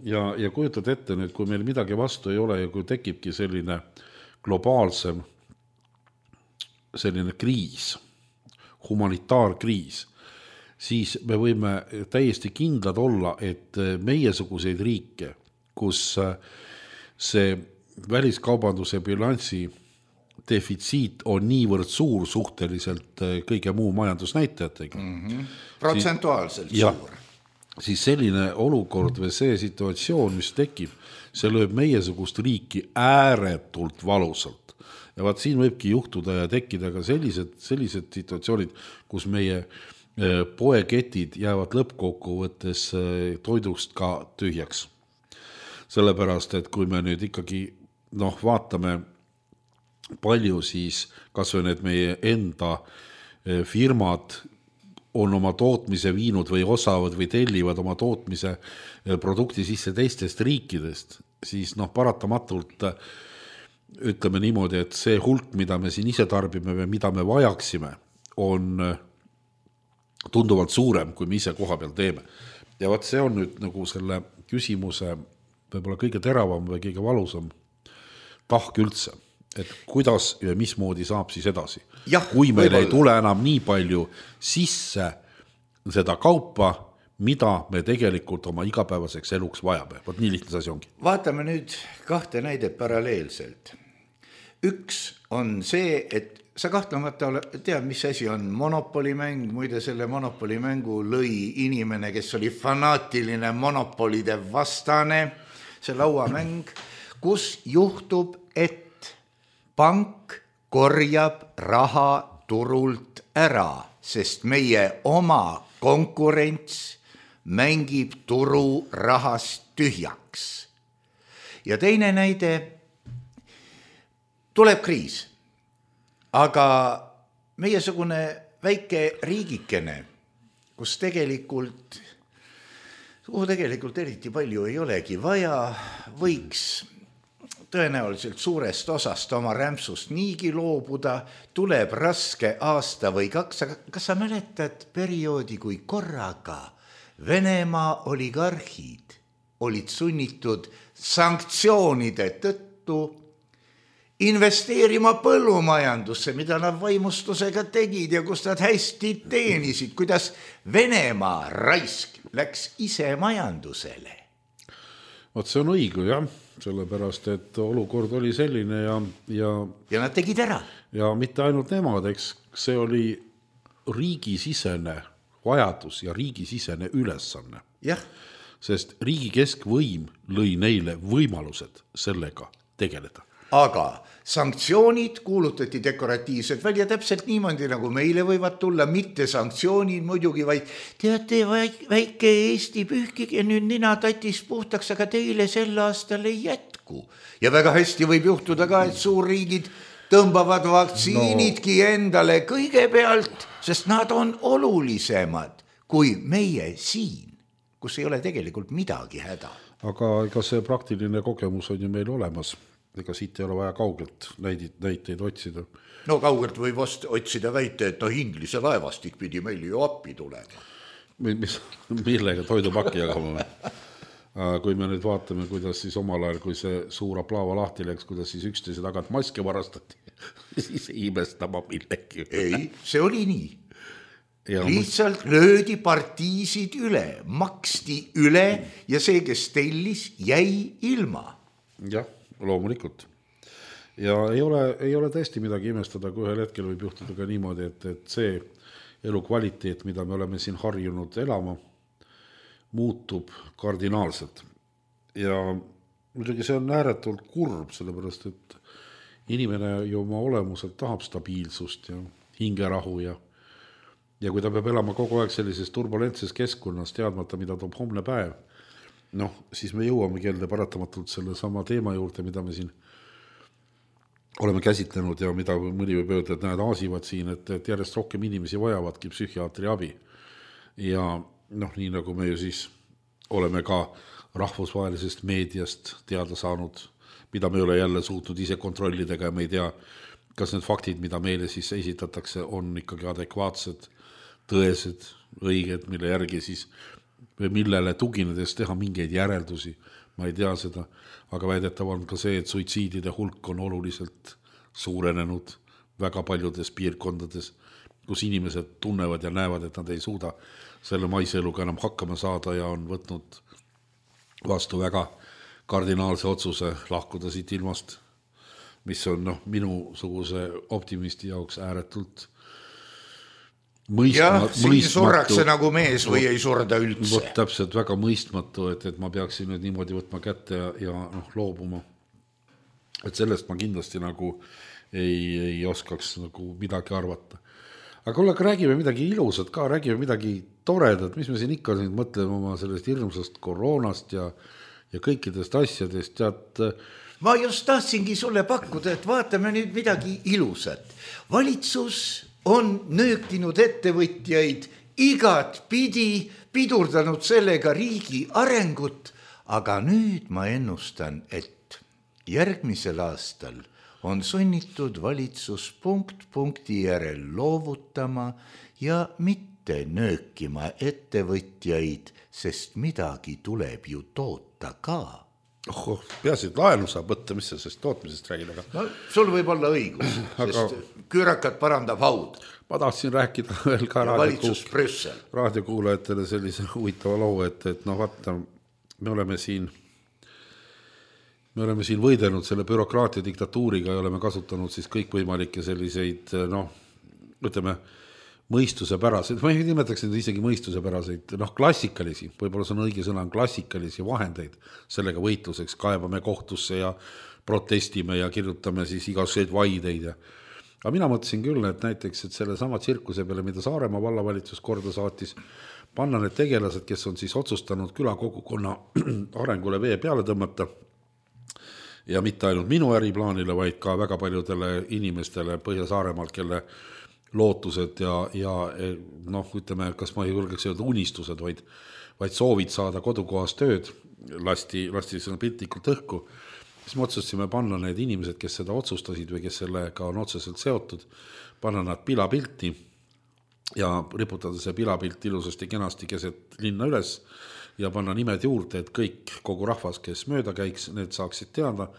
ja, ja kujutad ette nüüd, kui meil midagi vastu ei ole ja kui tekibki selline globaalsem selline kriis, humanitaarkriis, siis me võime täiesti kindlad olla, et meiesuguseid riike, kus see väliskaubanduse bilansi defitsiit on niivõrd suur suhteliselt kõige muu majandusnäitajatega. Mm-hmm. Protsentuaalselt siis, suur. Ja, siis selline olukord või see situatsioon, mis tekib, see lööb meiesugust riiki ääretult valusalt. Ja vaat siin võibki juhtuda ja tekkida ka sellised, sellised situatsioonid, kus meie poeketid jäävad lõppkokkuvõttes toidust ka tühjaks. Sellepärast, et kui me nüüd ikkagi noh, vaatame palju, siis kas või need meie enda firmad on oma tootmise viinud või osavad või tellivad oma tootmise produkti sisse teistest riikidest, siis noh, paratamatult ütleme niimoodi, et see hulk, mida me siin ise tarbime või mida me vajaksime, on tunduvalt suurem, kui me ise koha peal teeme. Ja vaat see on nüüd nagu selle küsimuse võib-olla kõige teravam või kõige valusam tahk üldse, et kuidas ja mismoodi saab siis edasi. Ja, kui meil ei tule enam nii palju sisse seda kaupa, mida me tegelikult oma igapäevaseks eluks vajame. Vot nii lihtne asi ongi. Vaatame nüüd kahte näidet paralleelselt. Üks on see, et sa kahtlemata tead, mis asi on monopolimäng. Muide, selle monopolimängu lõi inimene, kes oli fanaatiline monopolide vastane. See lauamäng, kus juhtub, et pank korjab raha turult ära, sest meie oma konkurents mängib turu rahast tühjaks. Ja teine näide, tuleb kriis, aga meiesugune väike riigikene, kus tegelikult, kuhu tegelikult eriti palju ei olegi vaja, võiks tõenäoliselt suurest osast oma rämpsust niigi loobuda, tuleb raske aasta või kaks, aga kas sa mäletad perioodi, kui korraga Venemaa oligarhid olid sunnitud sanktsioonide tõttu investeerima põllumajandusse, mida nad vaimustusega tegid ja kus nad hästi teenisid, kuidas Venemaa raisk läks ise majandusele. Vot see on õige, jah, sellepärast, et olukord oli selline ja, ja, ja nad tegid ära. Ja mitte ainult nemad, eks see oli riigisisene vajadus ja riigisisene ülesanne. Jah. Sest riigi keskvõim lõi neile võimalused sellega tegeleda. aga sanktsioonid kuulutati dekoratiivselt välja täpselt niimoodi, nagu meile võivad tulla, mitte sanktsioonid muidugi, vaid teate, väike Eesti pühkige nüüd nina tatis puhtaks, aga teile sel aastal ei jätku. Ja väga hästi võib juhtuda ka, et suurriigid tõmbavad vaktsiinidki no. endale kõigepealt, sest nad on olulisemad kui meie siin, kus ei ole tegelikult midagi häda. Aga ega see praktiline kogemus on ju meil olemas. Ega siit ei ole vaja kaugelt näiteid, näiteid otsida. No kaugelt võib otsida väite, et no Inglise laevastik pidi meil ju appi tulema. Mis, millega toidupakki jagama? Kui me nüüd vaatame, kuidas siis omal ajal, kui see suur aplaava lahti läks, kuidas siis üksteise tagant maske varastati, siis imestama millegi. Ei, see oli nii. Ja lihtsalt löödi partiisid üle, maksti üle ja see, kes tellis, jäi ilma. Jah, loomulikult. Ja ei ole, ei ole tõesti midagi imestada, kui ühel hetkel võib juhtuda ka niimoodi, et, et see elukvaliteet, mida me oleme siin harjunud elama, muutub kardinaalselt. Ja muidugi see on ääretult kurb, sellepärast, et inimene ju oma olemuselt tahab stabiilsust ja hingerahu ja ja kui ta peab elama kogu aeg sellises turbulentses keskkonnas, teadmata, mida toob homne päev, noh, siis me jõuame kelde paratamatult selle sama teema juurde, mida me siin oleme käsitlenud ja mida mõni võib öelda, et näed aasivad siin, et, et järjest rohkem inimesi vajavadki psühhiaatri abi. Ja noh, nii nagu me ju siis oleme ka rahvusvahelisest meediast teada saanud, mida me ei ole jälle suutnud ise kontrollidega ja me ei tea, kas need faktid, mida meile siis esitatakse, on ikkagi adekvaatsed, tõesed, õiged, mille järgi siis või millele tuginedes teha mingeid järeldusi. Ma ei tea seda, aga väidetav on ka see, et suitsiidide hulk on oluliselt suurenenud väga paljudes piirkondades, kus inimesed tunnevad ja näevad, et nad ei suuda selle maiseluga enam hakkama saada ja on võtnud vastu väga kardinaalse otsuse lahkuda siit ilmast, mis on noh, minusuguse optimisti jaoks ääretult mõistmatu. Jah, siin surrakse nagu mees või ei surda üldse. Vot täpselt väga mõistmatu, et, et ma peaksin nüüd niimoodi võtma kätte ja, ja noh, loobuma. Et sellest ma kindlasti nagu ei, ei oskaks nagu midagi arvata. Aga kuule, räägime midagi ilusat ka, räägime midagi toredat, mis me siin ikka siin mõtleme oma sellest hirmsast koroonast ja, ja kõikidest asjadest. Tead, ma just tahtsingi sulle pakkuda, et vaatame nüüd midagi ilusat. Valitsus on nöökinud ettevõtjaid igat pidi, pidurdanud sellega riigi arengut, aga nüüd ma ennustan, et järgmisel aastal on sunnitud valitsus punkt punkti järel loovutama ja mitte nöökima ettevõtjaid, sest midagi tuleb ju toota ka. Oh, peaasi, et laenu saab võtta, mis sa sest tootmisest räägid, aga... No, sul võib olla õigus, aga... sest küürakat parandab haud. Ma tahtsin rääkida veel ka raadiokuul... raadiokuulajatele sellise huvitava loo, et, et noh, vaata, me oleme siin me oleme siin võidelnud selle bürokraatia diktatuuriga ja oleme kasutanud siis kõikvõimalikke selliseid, noh, ütleme, mõistuse päraseid, ma ei nimetaks neid isegi mõistuse päraseid, noh, klassikalisi, võib-olla see on õige sõna, klassikalisi vahendeid sellega võitluseks, kaebame kohtusse ja protestime ja kirjutame siis igasuguseid vaideid. Aga mina mõtlesin küll, et näiteks, et selle sama tsirkuse peale, mida Saaremaa vallavalitsus korda saatis, panna need tegelased, kes on siis otsustanud külakogukonna arengule vee peale tõmmata ja mitte ainult minu äriplaanile, vaid ka väga paljudele inimestele Põhja-Saaremaalt, kelle lootused ja, ja noh, ütleme, kas ma ei julgeks öelda unistused, vaid, vaid soovid saada kodukohas tööd, lasti, lasti seda piltlikult õhku, siis me otsustasime panna need inimesed, kes seda otsustasid või kes sellega on otseselt seotud, panna nad pilapilti ja riputada see pilapilt ilusasti kenasti keset linna üles ja panna nimed juurde, et kõik, kogu rahvas, kes mööda käiks, need saaksid teada,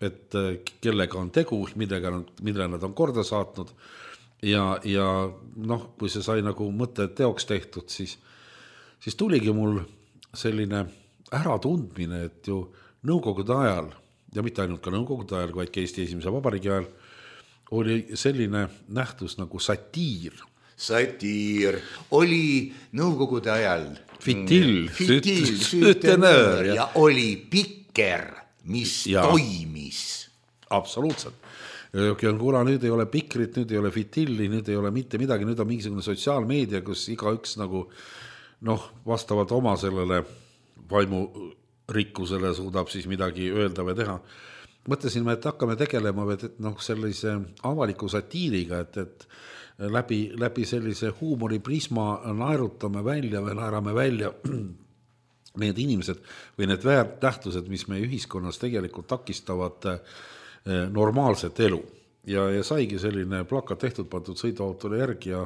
et kellega on tegu, millega, mille nad on korda saatnud. Ja, ja noh, kui see sai nagu mõte teoks tehtud, siis, siis tuligi mul selline äratundmine, et ju nõukogude ajal, ja mitte ainult ka nõukogude ajal, vaid ka Eesti esimese vabariigi ajal, oli selline nähtus nagu satiir. Satiir oli nõukogude ajal fitil, fitil sütenöör ja oli pikker, mis ja. toimis. absoluutselt. Kuula, nüüd ei ole Pikrit, nüüd ei ole Fitilli, nüüd ei ole mitte midagi, nüüd on mingisugune sotsiaalmeedia, kus igaüks nagu noh, vastavalt oma sellele vaimu rikkusele suudab siis midagi öelda või teha. Mõtlesime, et hakkame tegelema et noh, sellise avaliku satiiriga, et, et läbi, läbi sellise huumoriprisma naerutame välja või naerame välja need inimesed või need väärtähtused, mis meie ühiskonnas tegelikult takistavad normaalset elu. Ja, ja saigi selline plakat tehtud, pandud sõiduautole järgi ja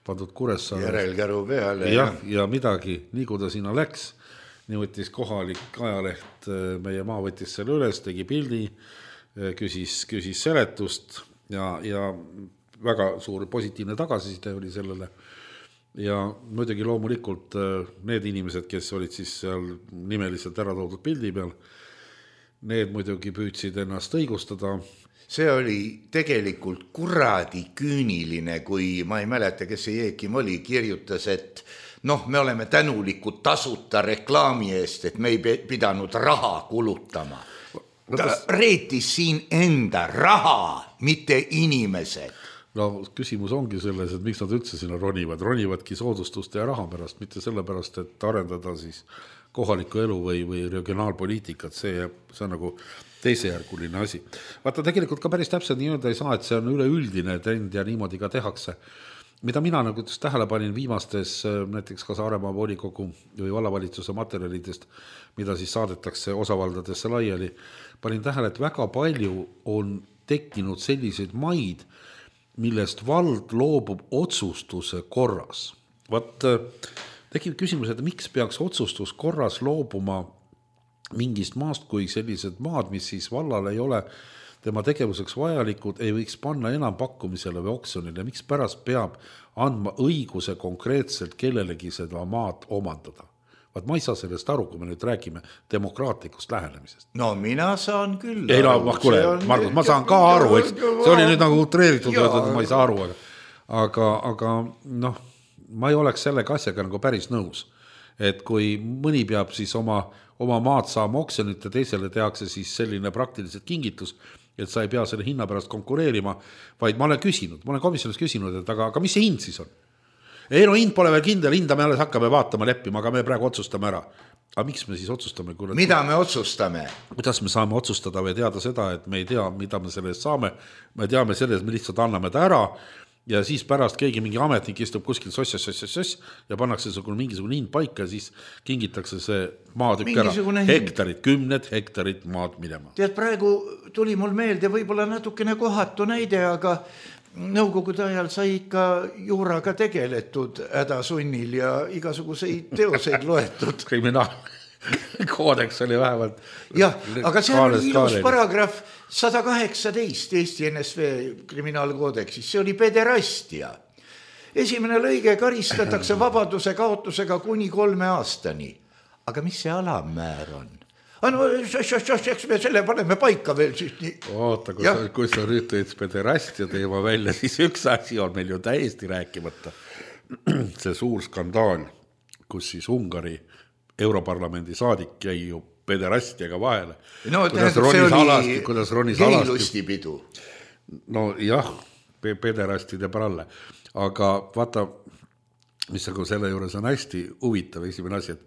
pandud Kuressaare. Järelkäru peale. Ja, ja midagi, nii kui ta sinna läks, nii võttis kohalik ajaleht, meie maa võttis selle üles, tegi pildi, küsis, küsis seletust ja, ja väga suur positiivne tagasiside oli sellele. Ja muidugi loomulikult need inimesed, kes olid siis seal nimeliselt ära toodud pildi peal, need muidugi püüdsid ennast õigustada. See oli tegelikult kuradi küüniline, kui ma ei mäleta, kes see Jeekim oli, kirjutas, et noh, me oleme tänulikud tasuta reklaami eest, et me ei pidanud raha kulutama. Ta reetis siin enda raha, mitte inimesed. No küsimus ongi selles, et miks nad üldse sinna ronivad. Ronivadki soodustuste ja raha pärast, mitte selle pärast, et arendada siis kohaliku elu või, või regionaalpoliitikat, see, see on nagu teisejärguline asi. Vaata, tegelikult ka päris täpselt nii öelda ei saa, et see on üleüldine trend ja niimoodi ka tehakse. Mida mina nagu tähele panin viimastes näiteks ka Saaremaa volikogu või vallavalitsuse materjalidest, mida siis saadetakse osavaldadesse laiali, panin tähele, et väga palju on tekkinud selliseid maid, millest vald loobub otsustuse korras. Vaat tekib küsimus, et miks peaks otsustus korras loobuma mingist maast, kui sellised maad, mis siis vallal ei ole tema tegevuseks vajalikud, ei võiks panna enam pakkumisele või oksjonile. Miks pärast peab andma õiguse konkreetselt kellelegi seda maad omandada? Vaat ma ei saa sellest aru, kui me nüüd räägime demokraatlikust lähenemisest. No mina saan küll ei, aru. No, kuule, on... Margus, ma saan ka aru, eks. See oli nüüd nagu utreeritud, et ma ei saa aru, aga, aga, aga noh, ma ei oleks sellega asjaga nagu päris nõus. Et kui mõni peab siis oma, oma maad saama oksjonit ja teisele tehakse siis selline praktiliselt kingitus, et sa ei pea selle hinna pärast konkureerima, vaid ma olen küsinud, ma olen komisjonis küsinud, et aga, aga mis see hind siis on? Ei no hind pole veel kindel, hinda me alles hakkame vaatama leppima, aga me praegu otsustame ära. Aga miks me siis otsustame? Kui mida me otsustame? Kuidas me saame otsustada või teada seda, et me ei tea, mida me selle eest saame. Me teame selle, et me lihtsalt anname ta ära ja siis pärast keegi mingi ametnik istub kuskil soss, soss, soss, soss ja pannakse mingisugune hind paika ja siis kingitakse see maatükk ära. Hektarid, kümned hektarid maad minema. Tead, praegu tuli mul meelde võib-olla natukene kohatu näide, aga nõukogude ajal sai ikka juuraga tegeletud hädasunnil ja igasuguseid teoseid loetud. Kriminaalkoodeks oli vähemalt. Jah, aga see oli ilus paragrahv sada kaheksateist Eesti N S V kriminaalkoodeksis. See oli pederastia. Esimene lõige karistatakse vabaduse kaotusega kuni kolme aastani. Aga mis see alammäär on? No, eks me selle paneme paika veel siis nii. Oota, kui, sa, kui sa nüüd tõid pederastia teema välja, siis üks asi on meil ju täiesti rääkimata. See suur skandaal, kus siis Ungari Europarlamendi saadik jäi ju pederastiaga vahele. No tähendab, see oli geilustipidu. No jah, pederastide pralle. Aga vaata, mis aga selle juures on hästi huvitav esimene asi, et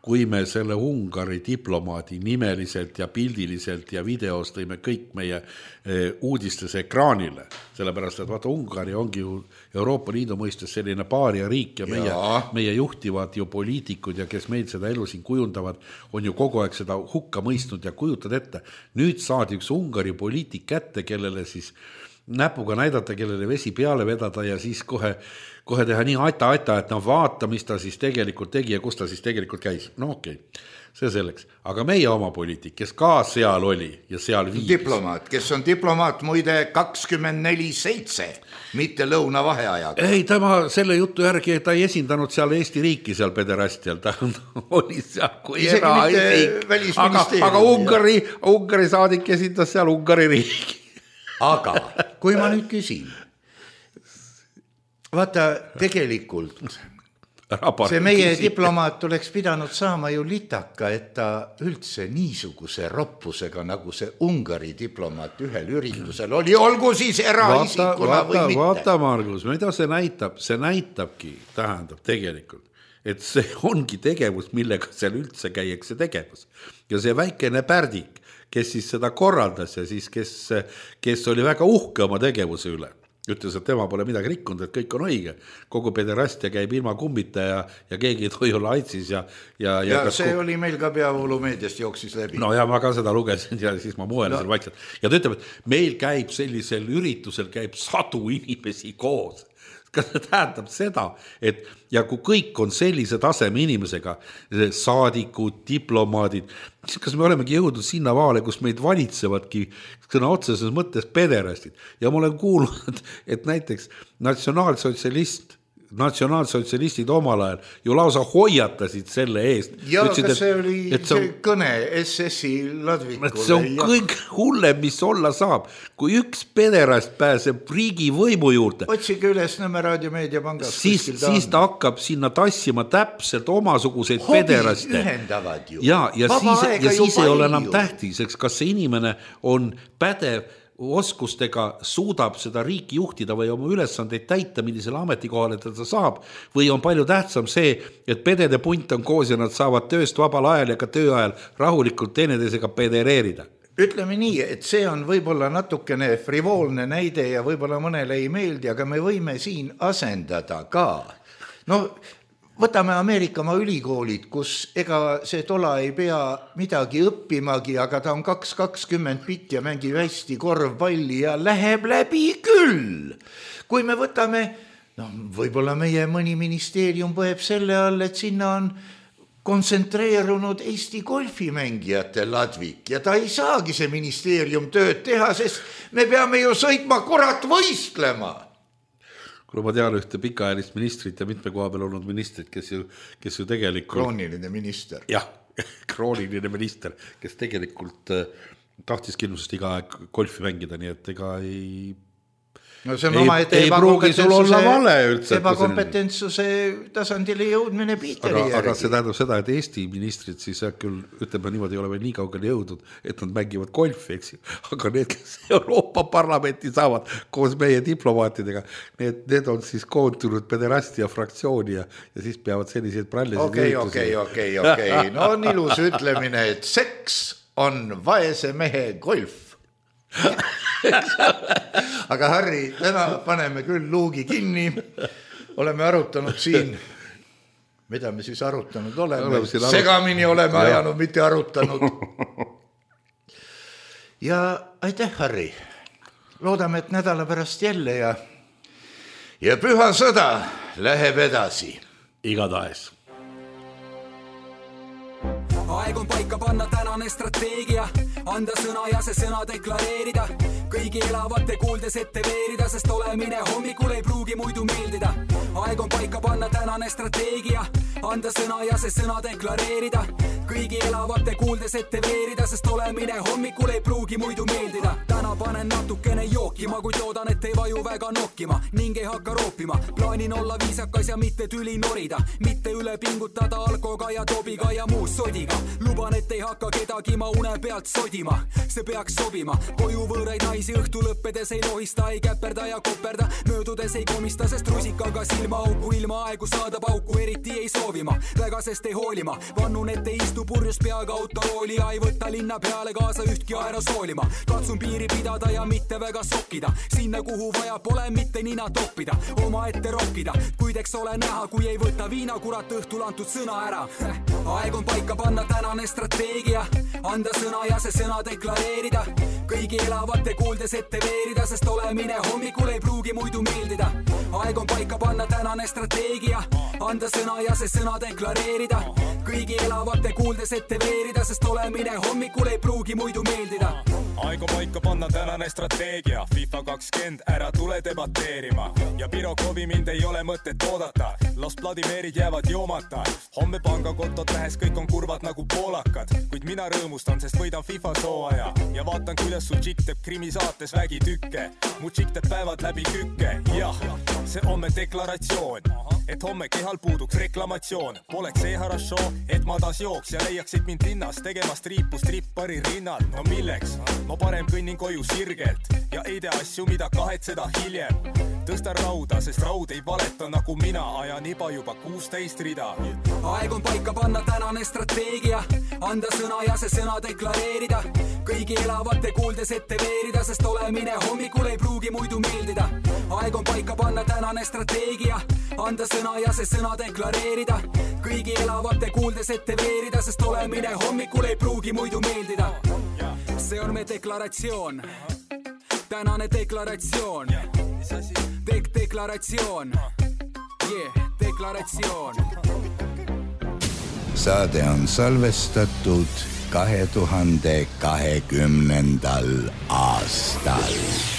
kui me selle Ungari diplomaadi nimeliselt ja pildiliselt ja videos tõime kõik meie uudistes ekraanile, sellepärast, et vaata, Ungari ongi ju Euroopa Liidu mõistes selline paaria riik ja meie, meie juhtivad ju poliitikud ja kes meil seda elu siin kujundavad, on ju kogu aeg seda hukka mõistnud ja kujutad ette. Nüüd saadi üks Ungari poliitik kätte, kellele siis näpuga näidata, kellele vesi peale vedada ja siis kohe, kohe teha nii aita-aita, et no vaata, mis ta siis tegelikult tegi ja kus ta siis tegelikult käis. No okei, okay. See selleks. Aga meie oma poliitik, kes ka seal oli ja seal viibis. Diplomaat, kes on diplomaat muide kakskümmend neli seitse, mitte lõuna vaheajaga. Ei, tema selle jutu järgi, ta ei esindanud seal Eesti riiki seal pederastial, ta oli seal kui eraisik. Aga, aga Ungari, Ungari saadik esindas seal Ungari riiki. Aga kui ma nüüd küsin, vaata tegelikult see meie diplomaat oleks pidanud saama ju litaka, et ta üldse niisuguse roppusega, nagu see Ungari diplomaat ühel üritusel oli, olgu siis eraisikuna või mitte. Vaata, Margus, mida see näitab? See näitabki, tähendab tegelikult, et see ongi tegevus, millega seal üldse käiakse tegevus. Ja see väikene pärdik, kes siis seda korraldas ja siis kes, kes oli väga uhke oma tegevuse üle. Ütles, et tema pole midagi rikkunud, et kõik on õige. Kogu pederastia käib ilma kummita ja, ja keegi ei tohi olla aitsis. Ja, ja, ja, ja see ko... oli meil ka peavoolumeediast jooksis läbi. No ja ma ka seda lugesin ja siis ma muelasin no. vaikselt. Ja ta ütleb, et meil käib sellisel üritusel käib sadu inimesi koos. Kas see tähendab seda, et ja kui kõik on sellise taseme inimesega, saadikud, diplomaadid, siis kas me olemegi jõudnud sinna vaale, kus meid valitsevadki sõna otseses mõttes pederastid. Ja ma olen kuulnud, et näiteks natsionaalsotsialist, natsionaalsotsialistid omal ajal ju lausa hoiatasid selle eest. Ja Ütsid, kas see et, oli see, see kõne S S-i Ladvikule? See on ja. kõik hullem, mis olla saab. Kui üks pederast pääseb riigi võimu juurde, otsige üles Nõmme raadiomeediapangast, siis, siis ta hakkab sinna tassima täpselt omasuguseid Hobi pederaste. Ühendavad ju. Ja, ja Vaba siis, ja siis ei ole enam tähtis, kas see inimene on pädev oskustega suudab seda riiki juhtida või oma ülesandeid täita, millisele ametikohale ta saab, või on palju tähtsam see, et pedede punt on koos ja nad saavad tööst vabal ajal ja ka töö ajal rahulikult teineteisega pedereerida. Ütleme nii, et see on võib-olla natukene frivoolne näide ja võib-olla mõnele ei meeldi, aga me võime siin asendada ka. No, võtame Ameerikamaa ülikoolid, kus ega see tola ei pea midagi õppimagi, aga ta on kaks kakskümmend bitt ja mängib hästi korvpalli ja läheb läbi küll. Kui me võtame, no võib-olla meie mõni ministeerium põeb selle all, et sinna on kontsentreerunud Eesti golfimängijate Ladvik ja ta ei saagi see ministeerium tööd teha, sest me peame ju sõitma kurat võistlema. Kui ma tean ühte pikaajalist ministrit ja mitme koha peal olnud ministrit, kes ju, kes ju tegelikult... Krooniline minister. Jah, krooniline minister, kes tegelikult tahtis kindlusest iga aeg golfi mängida, nii et ega ei... No see on ei, oma, et ei pruugi sul olla vale üldse. Ebakompetentsuse tasandile jõudmine Piiteri aga, aga see tähendab seda, et Eesti ministrid siis küll, ütleme niimoodi, ei ole veel nii kaugele jõudnud, et nad mängivad golfi, eks ju. Aga need, kes Euroopa Parlamenti saavad koos meie diplomaatidega, need, need on siis koontunud pederastia fraktsiooni ja, ja siis peavad selliseid prallisid okei, okei, okei, okei. No on ilus ütlemine, et seks on vaese mehe golf. Aga Harri, täna paneme küll luugi kinni. Oleme arutanud siin, mida me siis arutanud oleme. oleme arut... Segamini oleme ja. ajanud, mitte arutanud. Ja aitäh, Harri. Loodame, et nädala pärast jälle ja, ja püha sõda läheb edasi. Igatahes. Aeg on paika panna tänane strateegia, anda sõna ja see sõna deklareerida. Kõigi elavate kuuldes ette veerida, sest olemine hommikul ei pruugi muidu meeldida. Aeg on paika panna tänane strateegia, anda sõna ja see sõna deklareerida. Kõigi elavate kuuldes ette veerida, sest olemine hommikul ei pruugi muidu meeldida. Täna panen natukene jookima, kuid loodan, et ei vaju väga nokkima ning ei hakka roopima. Plaanin olla viisakas ja mitte tüli norida, mitte üle pingutada alkoga ja tobiga ja muu sodiga. Luban, et ei hakka kedagi ma une pealt sodima, see peaks sobima. Koju võõraid naisi õhtu lõppedes ei lohista, ei käperda ja koperda, möödudes ei komista, sest rusikaga silma auku ilma aegu saada pauku eriti ei soovima. Väga sest ei hoolima, vannun, et ei istu purjus peaga autorooli ja ei võtta linna peale kaasa ühtki aerosoolima. Katsun piiri pidada ja mitte väga sokkida, sinna kuhu vaja pole mitte nina toppida, oma ette rokkida, kuid eks ole näha, kui ei võta viina kurat õhtul antud sõna ära. Aeg on paika panna tänane strateegia, anda sõna ja see sõna deklareerida. Kõigi elavate kuuldes ette veerida, sest olemine hommikul ei pruugi muidu meeldida. Aeg on paika panna tänane strateegia, anda sõna ja see sõna deklareerida. kõigi elavate kuuldes ette veerida, sest olemine hommikul ei pruugi muidu meeldida. Aeg on paika panna tänane strateegia, FIFA kakskümmend, ära tule debateerima. Ja Pirokovi mind ei ole mõtet oodata, Los Vladimirid jäävad joomata. Homme pangakotot lähes kõik on kurvad nagu poolakad, kuid mina rõõmustan, sest võidan FIFA sooaja. Ja vaatan, kuidas su tšik teeb krimisaates vägitükke. Mu tšik teeb päevad läbi kükke. Jah, see homme deklaratsioon, et homme kehal puuduks reklamatsioon. Poleks see harašoo, et ma taas jooks ja leiaksid mind linnas tegemast riipu strippari rinnal. No milleks? Ma parem kõnnin koju sirgelt ja ei tee asju, mida kahetseda hiljem. Tõstan rauda, sest raud ei valeta nagu mina, ajan iba juba kuusteist rida. Aeg on paika panna tänane strateegia, anda sõna ja see sõna deklareerida. Kõigi elavate kuuldes ette veerida, sest olemine hommikul ei pruugi muidu meeldida. Aeg on paika panna tänane strateegia, anda sõna ja see sõna deklareerida. Kõigi elavate kuuldes ette veerida, sest olemine hommikul ei pruugi muidu meeldida. See on me deklaratsioon, tänane deklaratsioon, Dek deklaratsioon, yeah, deklaratsioon. Saade on salvestatud kahe tuhande kahekümnendal aastal.